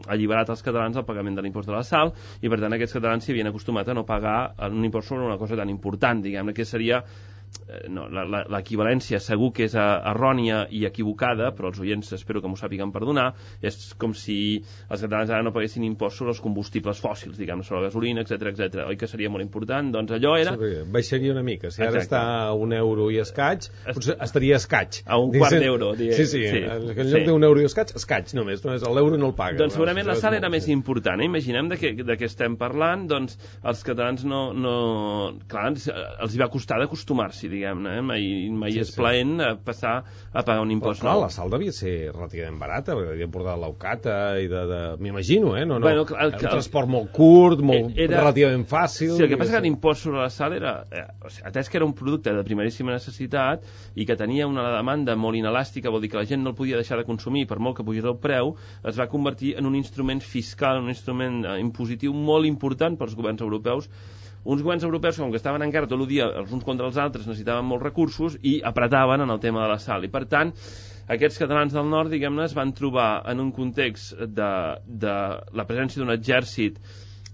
D: alliberat els catalans del pagament de l'impost de la sal, i per tant aquests catalans s'hi havien acostumat a no pagar un impost sobre una cosa tan important, diguem-ne, que seria... No, l'equivalència segur que és errònia i equivocada, però els oients espero que m'ho sàpiguen perdonar. És com si els catalans ara no paguessin impost sobre els combustibles fòssils, diguem, sobre la gasolina, etc. Oi que seria molt important? Doncs allò era...
C: Sí, baixaria una mica. Si ara està a €1 i escaig, potser estaria escaig.
D: A un quart d'euro.
C: Sí. En lloc d'1 i escaig només l'euro no el paga.
D: Doncs segurament la sal era més important. Imaginem de què estem parlant, doncs els catalans clar, els hi va costar d'acostumar-se, diguem-ne, mai és plaent passar a pagar un impost nou.
C: La sal devia ser relativament barata, perquè devia portar l'aucata i m'imagino,
D: Bueno,
C: un transport molt curt, relativament fàcil...
D: Sí, el que passa que l'impost sobre la sal era... Atès que era un producte de primeríssima necessitat i que tenia una demanda molt inelàstica, vol dir que la gent no el podia deixar de consumir per molt que pugés el preu, es va convertir en un instrument fiscal, un instrument impositiu molt important pels governs europeus. Uns governs europeus, com que estaven encara tot el dia els uns contra els altres, necessitaven molts recursos i apretaven en el tema de la sal. I, per tant, aquests catalans del nord, diguem-ne, es van trobar en un context de la presència d'un exèrcit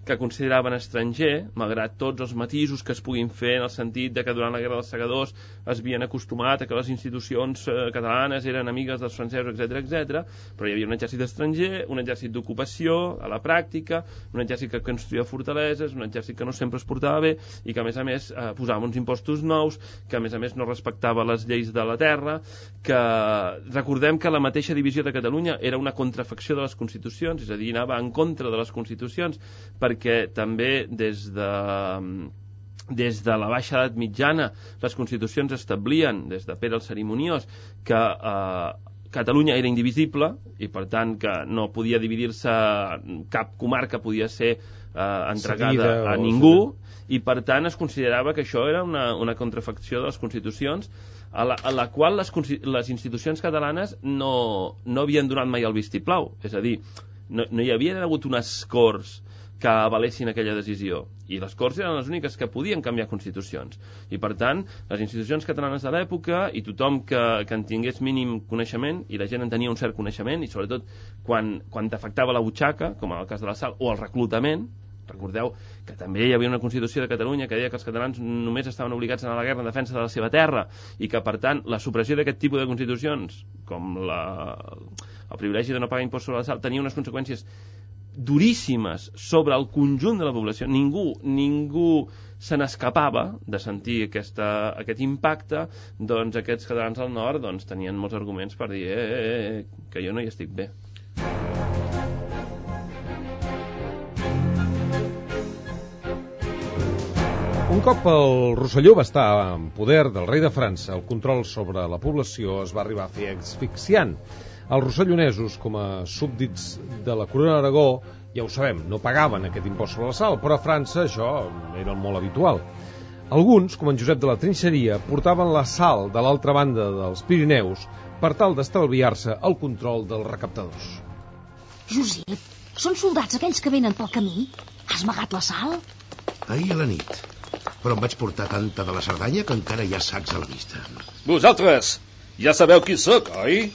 D: que consideraven estranger, malgrat tots els matisos que es puguin fer en el sentit de que durant la Guerra dels Segadors es havien acostumat a que les institucions catalanes eren amigues dels francesos, etc, però hi havia un exèrcit estranger, un exèrcit d'ocupació a la pràctica, un exèrcit que construïa fortaleses, un exèrcit que no sempre es portava bé i que a més posava uns impostos nous, que a més no respectava les lleis de la terra, que recordem que la mateixa divisió de Catalunya era una contrafacció de les constitucions, és a dir, anava en contra de les constitucions, perquè també des de la baixa edat mitjana les constitucions establien, des de Pere el Cerimoniós, que Catalunya era indivisible i per tant que no podia dividir-se, cap comarca podia ser entregada a ningú, i per tant es considerava que això era una contrafacció de les constitucions a la qual les institucions catalanes no havien donat mai el vistiplau, és a dir, no hi havia hagut unes Corts que avalessin aquella decisió, i les Corts eren les úniques que podien canviar constitucions, i per tant les institucions catalanes de l'època i tothom que en tingués mínim coneixement, i la gent en tenia un cert coneixement, i sobretot quan t'afectava la butxaca, com en el cas de la sal, o el reclutament. Recordeu que també hi havia una Constitució de Catalunya que deia que els catalans només estaven obligats a anar a la guerra en defensa de la seva terra, i que per tant la supressió d'aquest tipus de constitucions, com el privilegi de no pagar impost sobre la sal, tenia unes conseqüències duríssimes sobre el conjunt de la població. Ningú se n'escapava de sentir aquest impacte. Doncs aquests catalans del nord tenien molts arguments per dir que jo no hi estic bé.
C: Un cop el Rosselló va estar en poder del rei de França, el control sobre la població es va arribar a fer asfixiant. Els rossellonesos, com a súbdits de la corona d'Aragó, ja ho sabem, no pagaven aquest impost sobre la sal, però a França això era molt habitual. Alguns, com en Josep de la Trinxeria, portaven la sal de l'altra banda dels Pirineus per tal d'estalviar-se el control dels recaptadors.
G: Josep, són soldats aquells que venen pel camí? Has amagat la sal?
F: Ahir a la nit. Però em vaig portar tanta de la Cerdanya que encara hi ha sacs a la vista.
E: Vosaltres ja sabeu qui sóc, oi?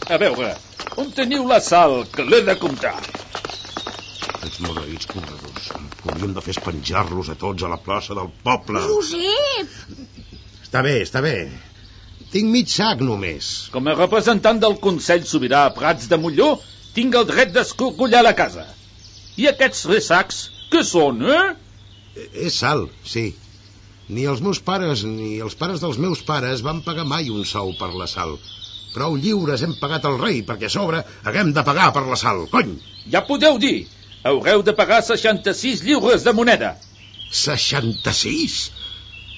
E: A veure, on teniu la sal, que l'he de comptar?
F: Aquests maleïts corredors. El que hauríem de fer és penjar-los a tots a la plaça del poble.
G: Josep!
F: Està bé. Tinc mig sac només.
E: Com a representant del Consell Sobirà a Prats de Molló, tinc el dret d'escorcollar la casa. I aquests 3 sacs, què són,
F: És sal, sí. Ni els meus pares ni els pares dels meus pares van pagar mai un sou per la sal. Prou lliures hem pagat al rei perquè a sobre haguem de pagar per la sal, cony!
E: Ja podeu dir, haureu de pagar 66 lliures de moneda.
F: 66?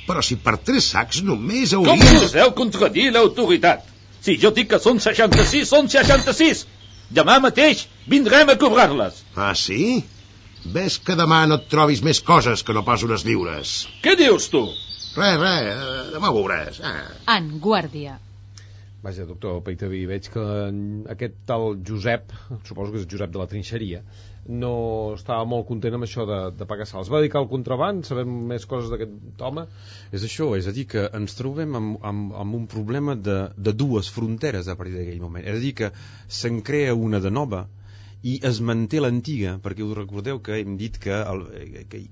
F: Però si per 3 sacs només
E: Com
F: hauria...
E: podeu contradir l'autoritat? Si jo dic que són 66, són 66. Demà mateix vindrem a cobrar-les.
F: Ah, sí? Ves que demà no et trobis més coses que no pas unes lliures.
E: Què dius, tu?
F: Res, demà ho veuràs.
H: En guàrdia.
C: Vaja, doctor Peitaví, veig que aquest tal Josep, suposo que és Josep de la Trinxeria, no estava molt content amb això de pagar sals. Va dedicar al contraband? Sabem més coses d'aquest home?
A: És això, és a dir, que ens trobem amb un problema de dues fronteres a partir d'aquell moment. És a dir, que se'n crea una de nova i es manté l'antiga, perquè us recordeu que hem dit que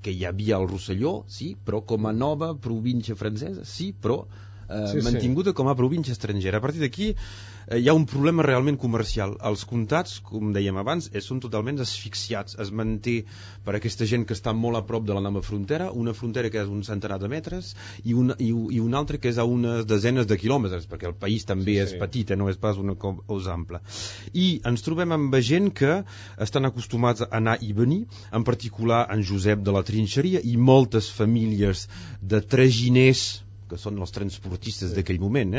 A: hi havia el Rosselló, sí, però com a nova província francesa, sí, però mantinguda com a província estrangera. A partir d'aquí hi ha un problema realment comercial. Els comtats, com dèiem abans, són totalment asfixiats. Es manté per aquesta gent que està molt a prop de la nova frontera, una frontera que és un centenar de metres i una altra que és a unes desenes de quilòmetres, perquè el país també és petit, no és pas una cosa ampla. I ens trobem amb gent que estan acostumats a anar i venir, en particular en Josep de la Trinxeria i moltes famílies de traginers, que són els transportistes d'aquell moment,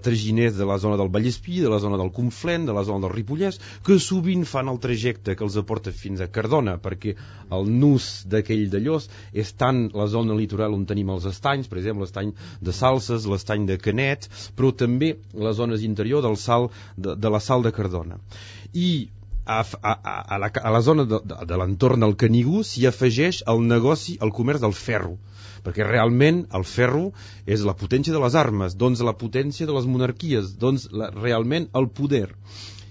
A: traginers de la zona del Vallespí, de la zona del Conflent, de la zona del Ripollès, que sovint fan el trajecte que els aporta fins a Cardona, perquè el nus d'aquell d'Allós és tant la zona litoral on tenim els estanys, per exemple, l'estany de Salses, l'estany de Canet, però també les zones interior de la Sal de Cardona. I a la zona de l'entorn del Canigó s'hi afegeix el negoci, el comerç del ferro, perquè realment el ferro és la potència de les armes, doncs la potència de les monarquies, doncs realment el poder.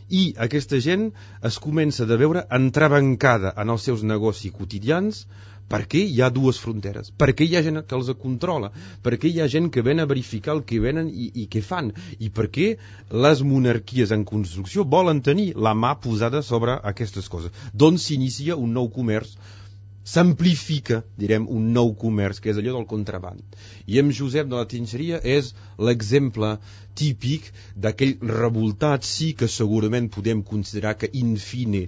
A: I aquesta gent es comença de veure entrebancada en els seus negocis quotidians perquè hi ha dues fronteres, perquè hi ha gent que els controla, perquè hi ha gent que ven a verificar el que venen i què fan, i perquè les monarquies en construcció volen tenir la mà posada sobre aquestes coses. Doncs s'inicia un nou comerç, s'amplifica, direm, un nou comerç, que és allò del contraband. I amb Josep de la Trinxeria és l'exemple típic d'aquell revoltat, sí que segurament podem considerar que in fine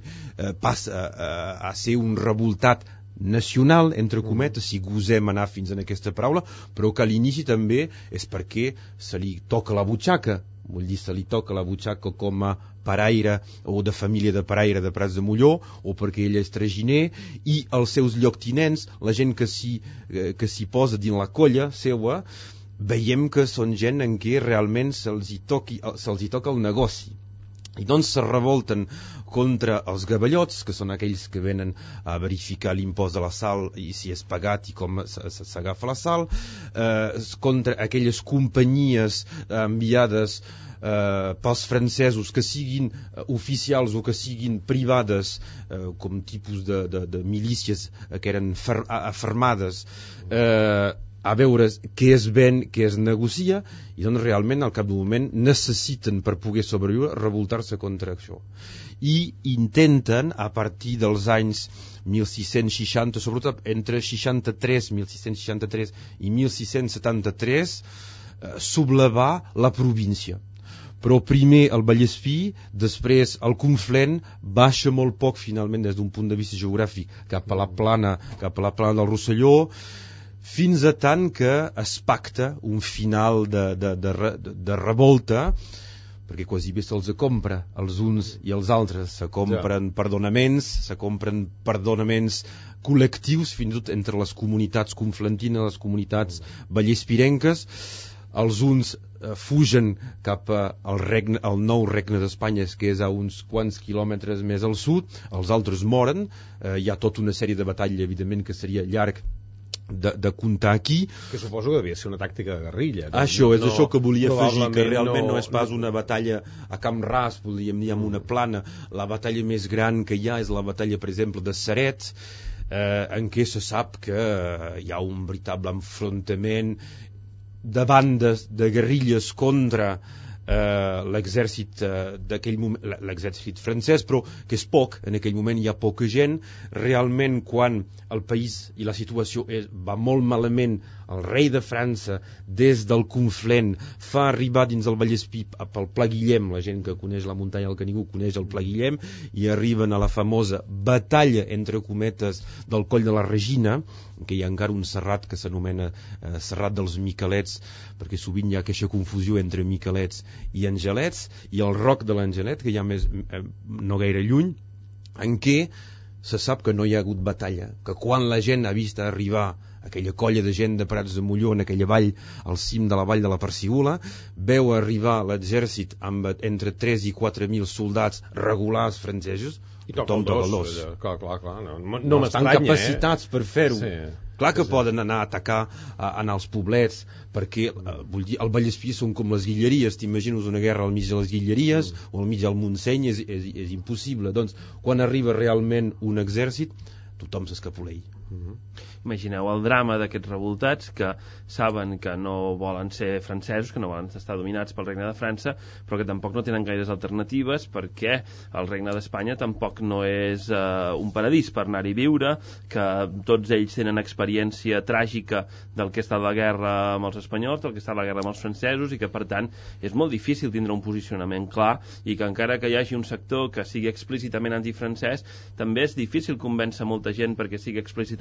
A: passa a ser un revoltat nacional, entre cometes, si gosem anar fins en aquesta paraula, però que a l'inici també és perquè se li toca la butxaca, vull dir, se li toca la butxaca com a paraire o de família de paraire de Prats de Molló, o perquè ell és traginer, i els seus lloctinents, la gent que s'hi posa dins la colla seua, veiem que són gent en què realment se'ls hi toca el negoci. I doncs se revolten contra els gavellots, que són aquells que venen a verificar l'impost de la sal i si és pagat i com s'agafa la sal, contra aquelles companyies enviades pels francesos, que siguin oficials o que siguin privades, com tipus de milícies que eren afermades, a veure què es ven, què es negocia, i doncs realment al cap d'un moment necessiten, per poder sobreviure, revoltar-se contra això. I intenten, a partir dels anys 1660, sobretot entre 1663 i 1673, sublevar la província. Però primer el Vallespí, després el Conflent, baixa molt poc finalment des d'un punt de vista geogràfic cap a la plana del Rosselló, fins a tant que es pacta un final de revolta, perquè quasi bé se'ls compra els uns i els altres, se compren perdonaments col·lectius, fins i tot entre les comunitats conflentines, les comunitats vallespirenques. Els uns fugen cap al nou regne d'Espanya, que és a uns quants quilòmetres més al sud, els altres moren, hi ha tota una sèrie de batalla, evidentment, que seria llarg de comptar aquí.
C: Que suposo que devia ser una tàctica de guerrilla.
A: Això és això que volia afegir, que realment no és pas una batalla a camp ras, podríem dir, amb una plana. La batalla més gran que hi ha és la batalla, per exemple, de Ceret, en què se sap que hi ha un veritable enfrontament de bandes de guerrilles contra l'exèrcit d'aquell moment, l'exèrcit francès, però que és poc, en aquell moment hi ha poca gent. Realment, quan el país i la situació va molt malament, el rei de França, des del Conflent, fa arribar dins el Vallespí pel Pla Guillem, la gent que coneix la muntanya del Canigó coneix el Pla Guillem, i arriben a la famosa batalla, entre cometes, del Coll de la Regina, que hi ha encara un serrat que s'anomena Serrat dels Miquelets, perquè sovint hi ha aquesta confusió entre Miquelets i Angelets, i el Roc de l'Angelet, que hi ha més, no gaire lluny, en què se sap que no hi ha hagut batalla, que quan la gent ha vist arribar aquella colla de gent de Prats de Molló en aquella vall, al cim de la vall de la Parsigula, veu arribar l'exèrcit amb entre 3 i 4.000 soldats regulars francesos,
C: i tothom toca el dos. Clar, no
A: estan capacitats per fer-ho.
C: Sí.
A: Clar que poden anar a atacar, anar als poblets, perquè vull dir, el Vallespí són com les Guilleries. T'imagines una guerra al mig de les Guilleries o al mig del Montseny, és impossible. Doncs, quan arriba realment un exèrcit, tothom s'escapoleix.
D: Imagineu el drama d'aquests revoltats que saben que no volen ser francesos, que no volen estar dominats pel Regne de França, però que tampoc no tenen gaires alternatives, perquè el Regne d'Espanya tampoc no és un paradís per anar-hi a viure, que tots ells tenen experiència tràgica del que ha estat la guerra amb els espanyols, del que ha estat la guerra amb els francesos, i que per tant és molt difícil tindre un posicionament clar, i que encara que hi hagi un sector que sigui explícitament antifrancès, també és difícil convèncer molta gent perquè sigui explícitament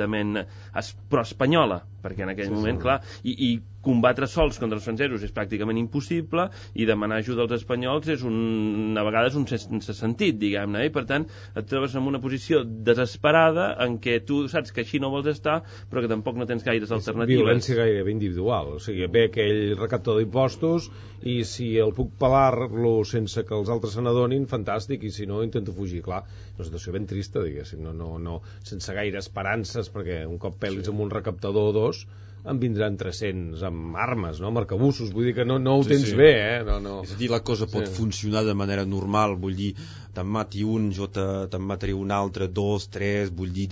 D: pro-espanyola, perquè en aquell moment, clar, i combatre sols contra els francesos és pràcticament impossible, i demanar ajuda als espanyols és a vegades un sense sentit, diguem-ne, i per tant et trobes en una posició desesperada en què tu saps que així no vols estar, però que tampoc no tens gaires alternatives.
C: Violència gairebé individual, o sigui, ve aquell recaptador d'impostos i si el puc pelar-lo sense que els altres se n'adonin, fantàstic, i si no intento fugir, clar, una situació ben trista, diguéssim, no, sense gaire esperances, perquè un cop pelis amb un recaptador o dos en vindran 300 amb armes, no? Amb arcabussos, vull dir que no ho tens bé, No.
A: És a dir, la cosa pot funcionar de manera normal, vull dir, te'n mati un, jo te'n mataré un altre, 2, 3, vull dir,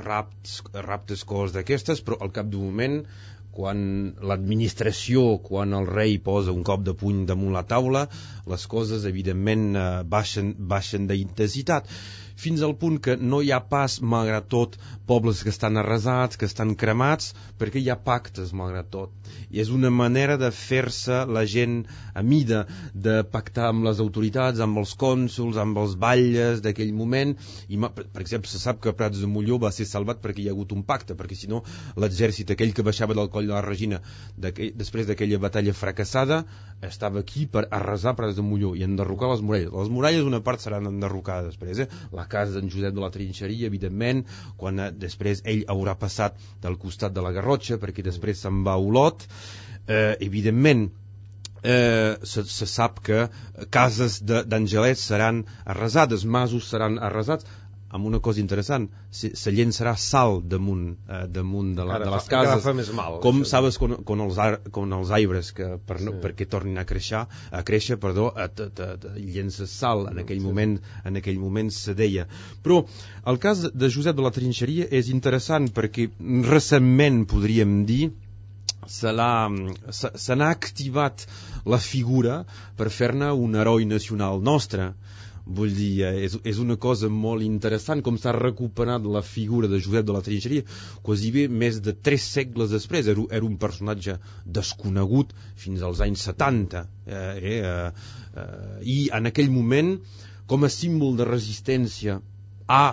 A: raptes, coses d'aquestes, però al cap d'un moment, quan l'administració, quan el rei posa un cop de puny damunt la taula, les coses, evidentment, baixen d'intensitat, fins al punt que no hi ha pas, malgrat tot, pobles que estan arrasats, que estan cremats, perquè hi ha pactes, malgrat tot. I és una manera de fer-se la gent a mida, de pactar amb les autoritats, amb els cònsols, amb els batlles d'aquell moment. I, per exemple, se sap que Prats de Molló va ser salvat perquè hi ha hagut un pacte, perquè si no l'exèrcit, aquell que baixava del Coll de la Regina després d'aquella batalla fracassada, estava aquí per arrasar Prats de Molló i enderrocar les muralles. Les muralles una part seran enderrocades després, La casa d'en Josep de la Trinxeria, evidentment, quan després ell haurà passat del costat de la Garrotxa, perquè després se'n va a Olot. Evidentment, se sap que cases d'Angelets seran arrasades, masos seran arrasats, amb una cosa interessant, se llençarà sal damunt de les cases, com sabes con els arbres que perquè tornin a créixer, llences sal, en aquell moment se deia. Però el cas de Josep de la Trinxeria és interessant perquè recentment, podríem dir, se n'ha activat la figura per fer-ne un heroi nacional nostre. Vull dir, és una cosa molt interessant com s'ha recuperat la figura de Josep de la Trinxeria quasi bé més de 3 segles després. Era un personatge desconegut fins als anys 70 i en aquell moment, com a símbol de resistència a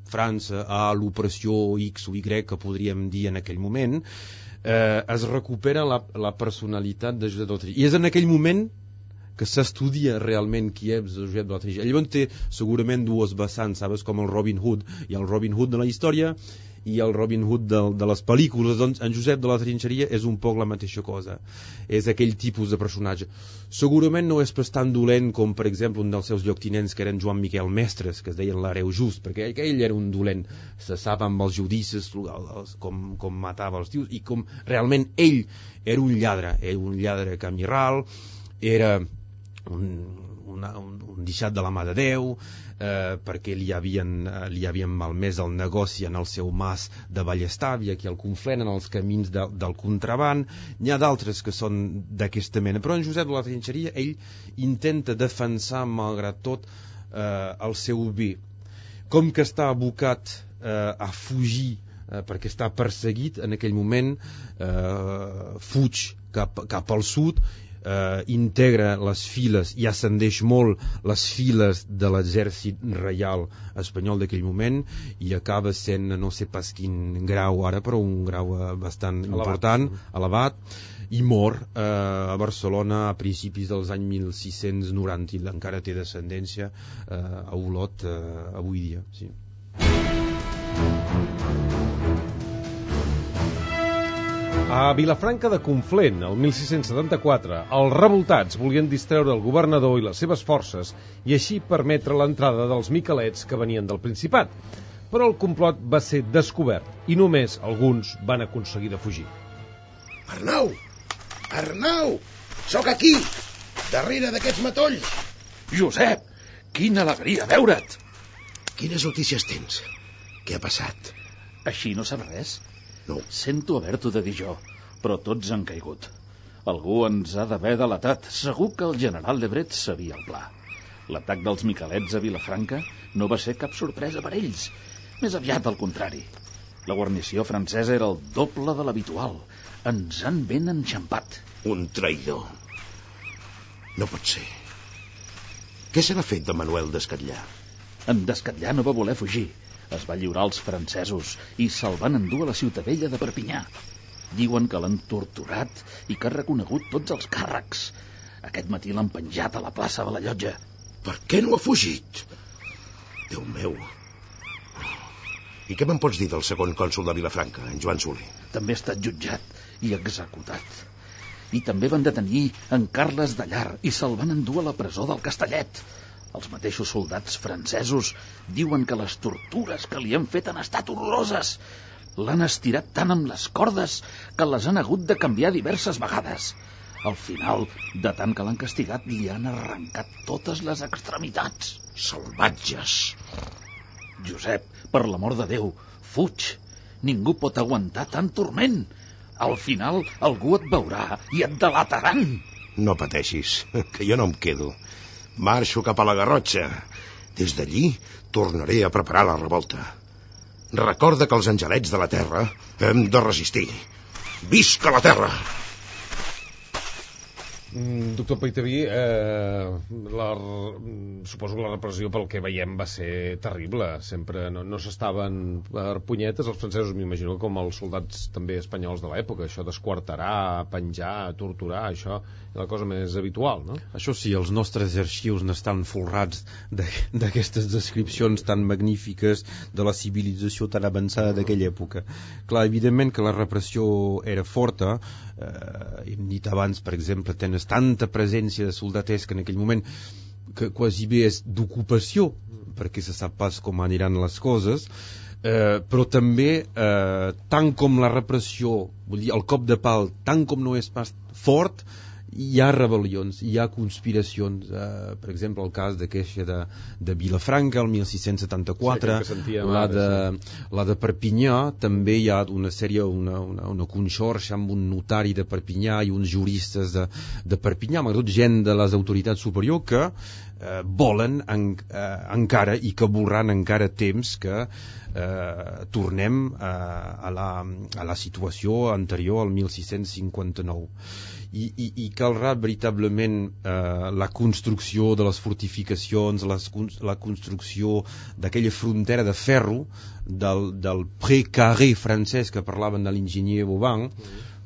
A: França, a l'opressió X o Y que podríem dir en aquell moment, es recupera la personalitat de Josep de la Trinxeria. I és en aquell moment que s'estudia realment qui és Josep de la Trinxeria. Llavors té segurament dues vessants, sabes, com el Robin Hood. Hi ha el Robin Hood de la història i el Robin Hood de les pel·lícules. Doncs en Josep de la Trinxeria és un poc la mateixa cosa. És aquell tipus de personatge. Segurament no és pas tan dolent com, per exemple, un dels seus lloctinents que eren Joan Miquel Mestres, que es deien l'Hereu Just, perquè ell era un dolent. Se sap amb els judicis com matava els tios i com realment ell era un lladre. Era un lladre camirral, era un deixat de la mà de Déu, perquè li havien malmès el negoci en el seu mas de Vallestàvia, aquí al Conflent, en els camins del contraban. N'hi ha d'altres que són d'aquesta mena, però en Josep de la Trinxeria, ell intenta defensar, malgrat tot, el seu bé. Com que està abocat a fugir, perquè està perseguit en aquell moment, fuig cap al sud, integra les files i ascendeix molt les files de l'exèrcit reial espanyol d'aquell moment i acaba sent, no sé pas quin grau ara, però un grau bastant important, elevat, i mor a Barcelona a principis dels anys 1690 i encara té descendència a Olot avui dia, sí.
C: A Vilafranca de Conflent, el 1674, els revoltats volien distreure el governador i les seves forces i així permetre l'entrada dels miquelets que venien del Principat. Però el complot va ser descobert i només alguns van aconseguir de fugir.
F: Arnau! Arnau! Sóc aquí, darrere d'aquests matolls.
E: Josep, quina alegria veure't!
F: Quines notícies tens? Què ha passat?
E: Així no saps res?
F: No.
E: Sento haver-t'ho de dir jo, però tots han caigut. Algú ens ha d'haver delatat. Segur que el general Lebret sabia el pla. L'atac dels miquelets a Vilafranca no va ser cap sorpresa per ells. Més aviat al contrari. La guarnició francesa era el doble de l'habitual. Ens han ben enxampat.
F: Un traïdor. No pot ser. Què se n'ha fet de Manuel d'Escatllà?
E: En Descatllà no va voler fugir. Es va lliurar als francesos i se'l van endur a la ciutadella de Perpinyà. Diuen que l'han torturat i que ha reconegut tots els càrrecs. Aquest matí l'han penjat a la plaça de la Llotja.
F: Per què no ha fugit? Déu meu. I què me'n pots dir del segon cònsol de Vilafranca, en Joan Soler?
E: També ha estat jutjat i executat. I també van detenir en Carles de Llar i se'l van endur a la presó del Castellet. Els mateixos soldats francesos diuen que les tortures que li han fet han estat horroroses. L'han estirat tant amb les cordes que les han hagut de canviar diverses vegades. Al final, de tant que l'han castigat, li han arrencat totes les extremitats.
F: Salvatges!
E: Josep, per l'amor de Déu, fuig. Ningú pot aguantar tant turment. Al final, algú et veurà i et delataran.
F: No pateixis, que jo no em quedo. Marxo cap a la Garrotxa. Des d'allí tornaré a preparar la revolta. Recorda que els angelets de la terra hem de resistir. Visca la terra!
C: Doctor Paitaví, suposo que la repressió pel que veiem va ser terrible. Sempre no s'estaven per punyetes els francesos, m'imagino, com els soldats també espanyols de l'època. Això d'esquarterar, penjar, torturar, això és la cosa més habitual, no?
A: Això sí, els nostres arxius n'estan folrats d'aquestes descripcions tan magnífiques de la civilització tan avançada d'aquella època. Clar, evidentment que la repressió era forta. Hem dit abans, per exemple, tens tanta presència de soldaters que en aquell moment que quasi bé és d'ocupació, perquè se sap pas com aniran les coses, però també tant com la repressió, vull dir, el cop de pal, tant com no és pas fort, hi ha rebel·lions, hi ha conspiracions. Per exemple, el cas d'aquesta de Vilafranca, el 1674, la de Perpinyà, també hi ha una sèrie, una conxorxa amb un notari de Perpinyà i uns juristes de Perpinyà, malgrat tot gent de les autoritats superiors que volen encara i que voldran encara temps que tornem a la situació anterior al 1659. I caldrà veritablement la construcció de les fortificacions, la construcció d'aquella frontera de ferro del pré-carré francès que parlaven de l'enginyer Vauban,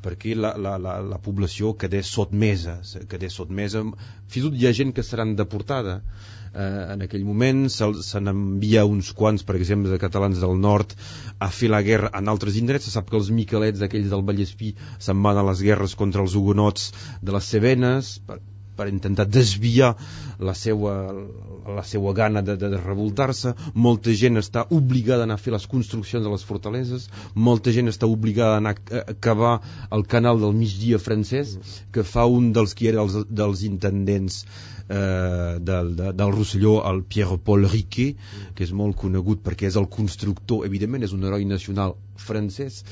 A: perquè la població quedés sotmesa. Fins i tot hi ha gent que seran deportada. En aquell moment se n'envia uns quants, per exemple, de catalans del nord a fer la guerra en altres indrets. Se sap que els miquelets aquells del Vallespí se'n van a les guerres contra els hugonots de les Cevenes, per intentar desviar la seva gana de revoltar-se. Molta gent està obligada a anar a fer les construccions de les fortaleses, molta gent està obligada a anar a cavar el canal del migdia francès, que fa un dels qui era dels intendents del Rosselló, el Pierre-Paul Riquet, que és molt conegut perquè és el constructor, evidentment és un heroi nacional francès,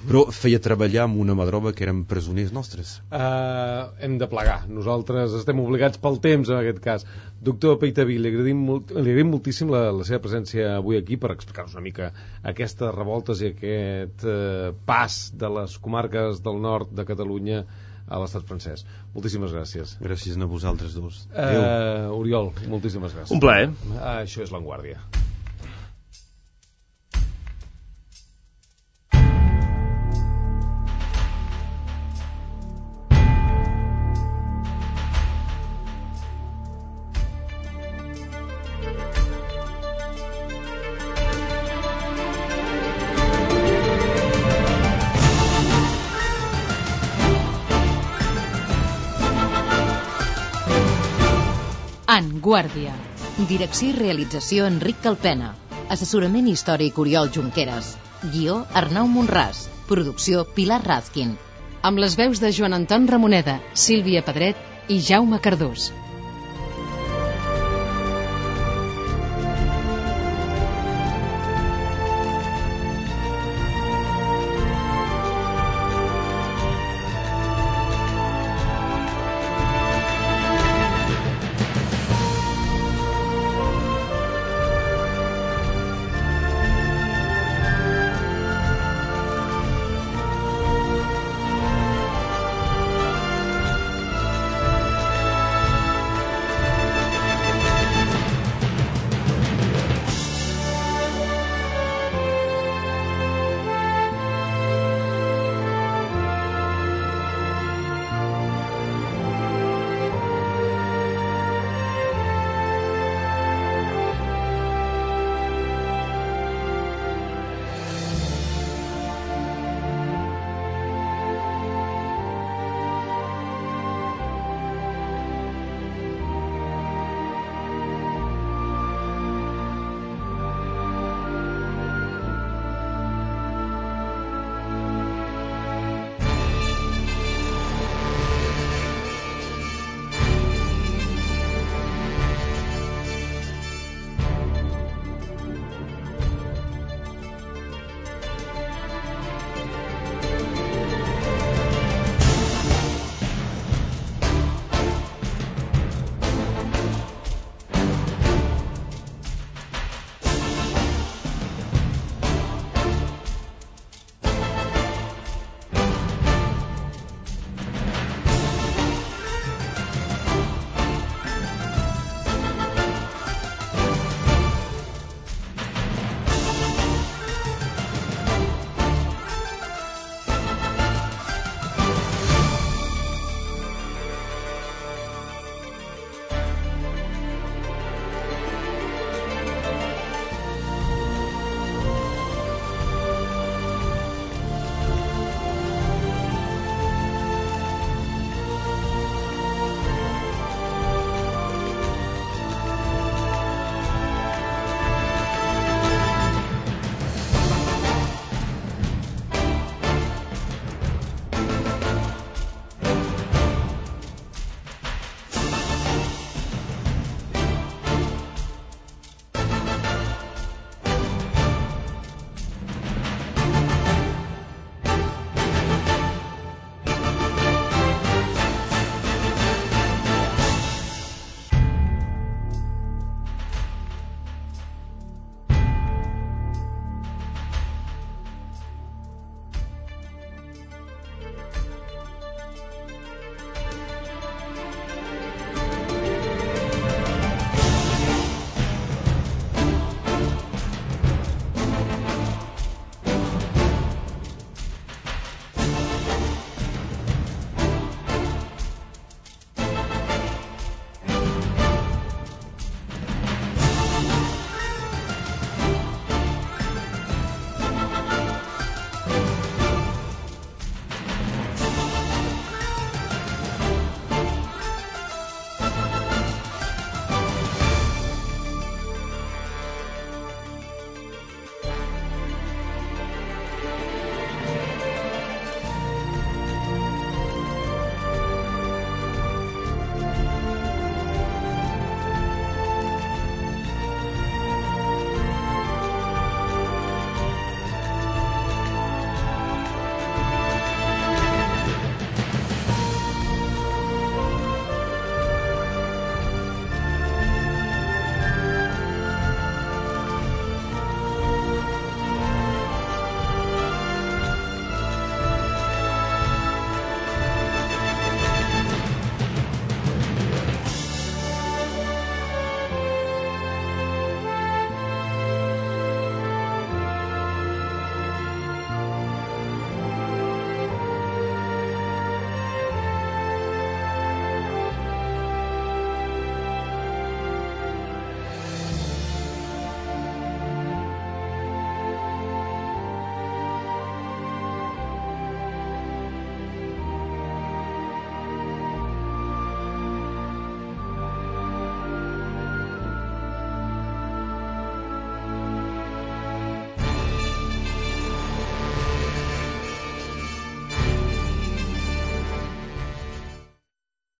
A: però feia treballar amb una mà d'obra que eren presoners nostres.
C: Hem de plegar, nosaltres estem obligats pel temps en aquest cas. Doctor Peitaví, li agraïm moltíssim la seva presència avui aquí per explicar-nos una mica aquestes revoltes i aquest pas de les comarques del nord de Catalunya a l'estat francès. Moltíssimes gràcies.
A: Gràcies a vosaltres dos.
C: Oriol, moltíssimes gràcies.
D: Un plaer.
C: Això és La Vanguardia.
H: En Guàrdia. Direcció i realització Enric Calpena. Assessorament històric Oriol Junqueras. Guió Arnau Monràs. Producció Pilar Razkin. Amb les veus de Joan Anton Ramoneda, Sílvia Pedret i Jaume Cardús.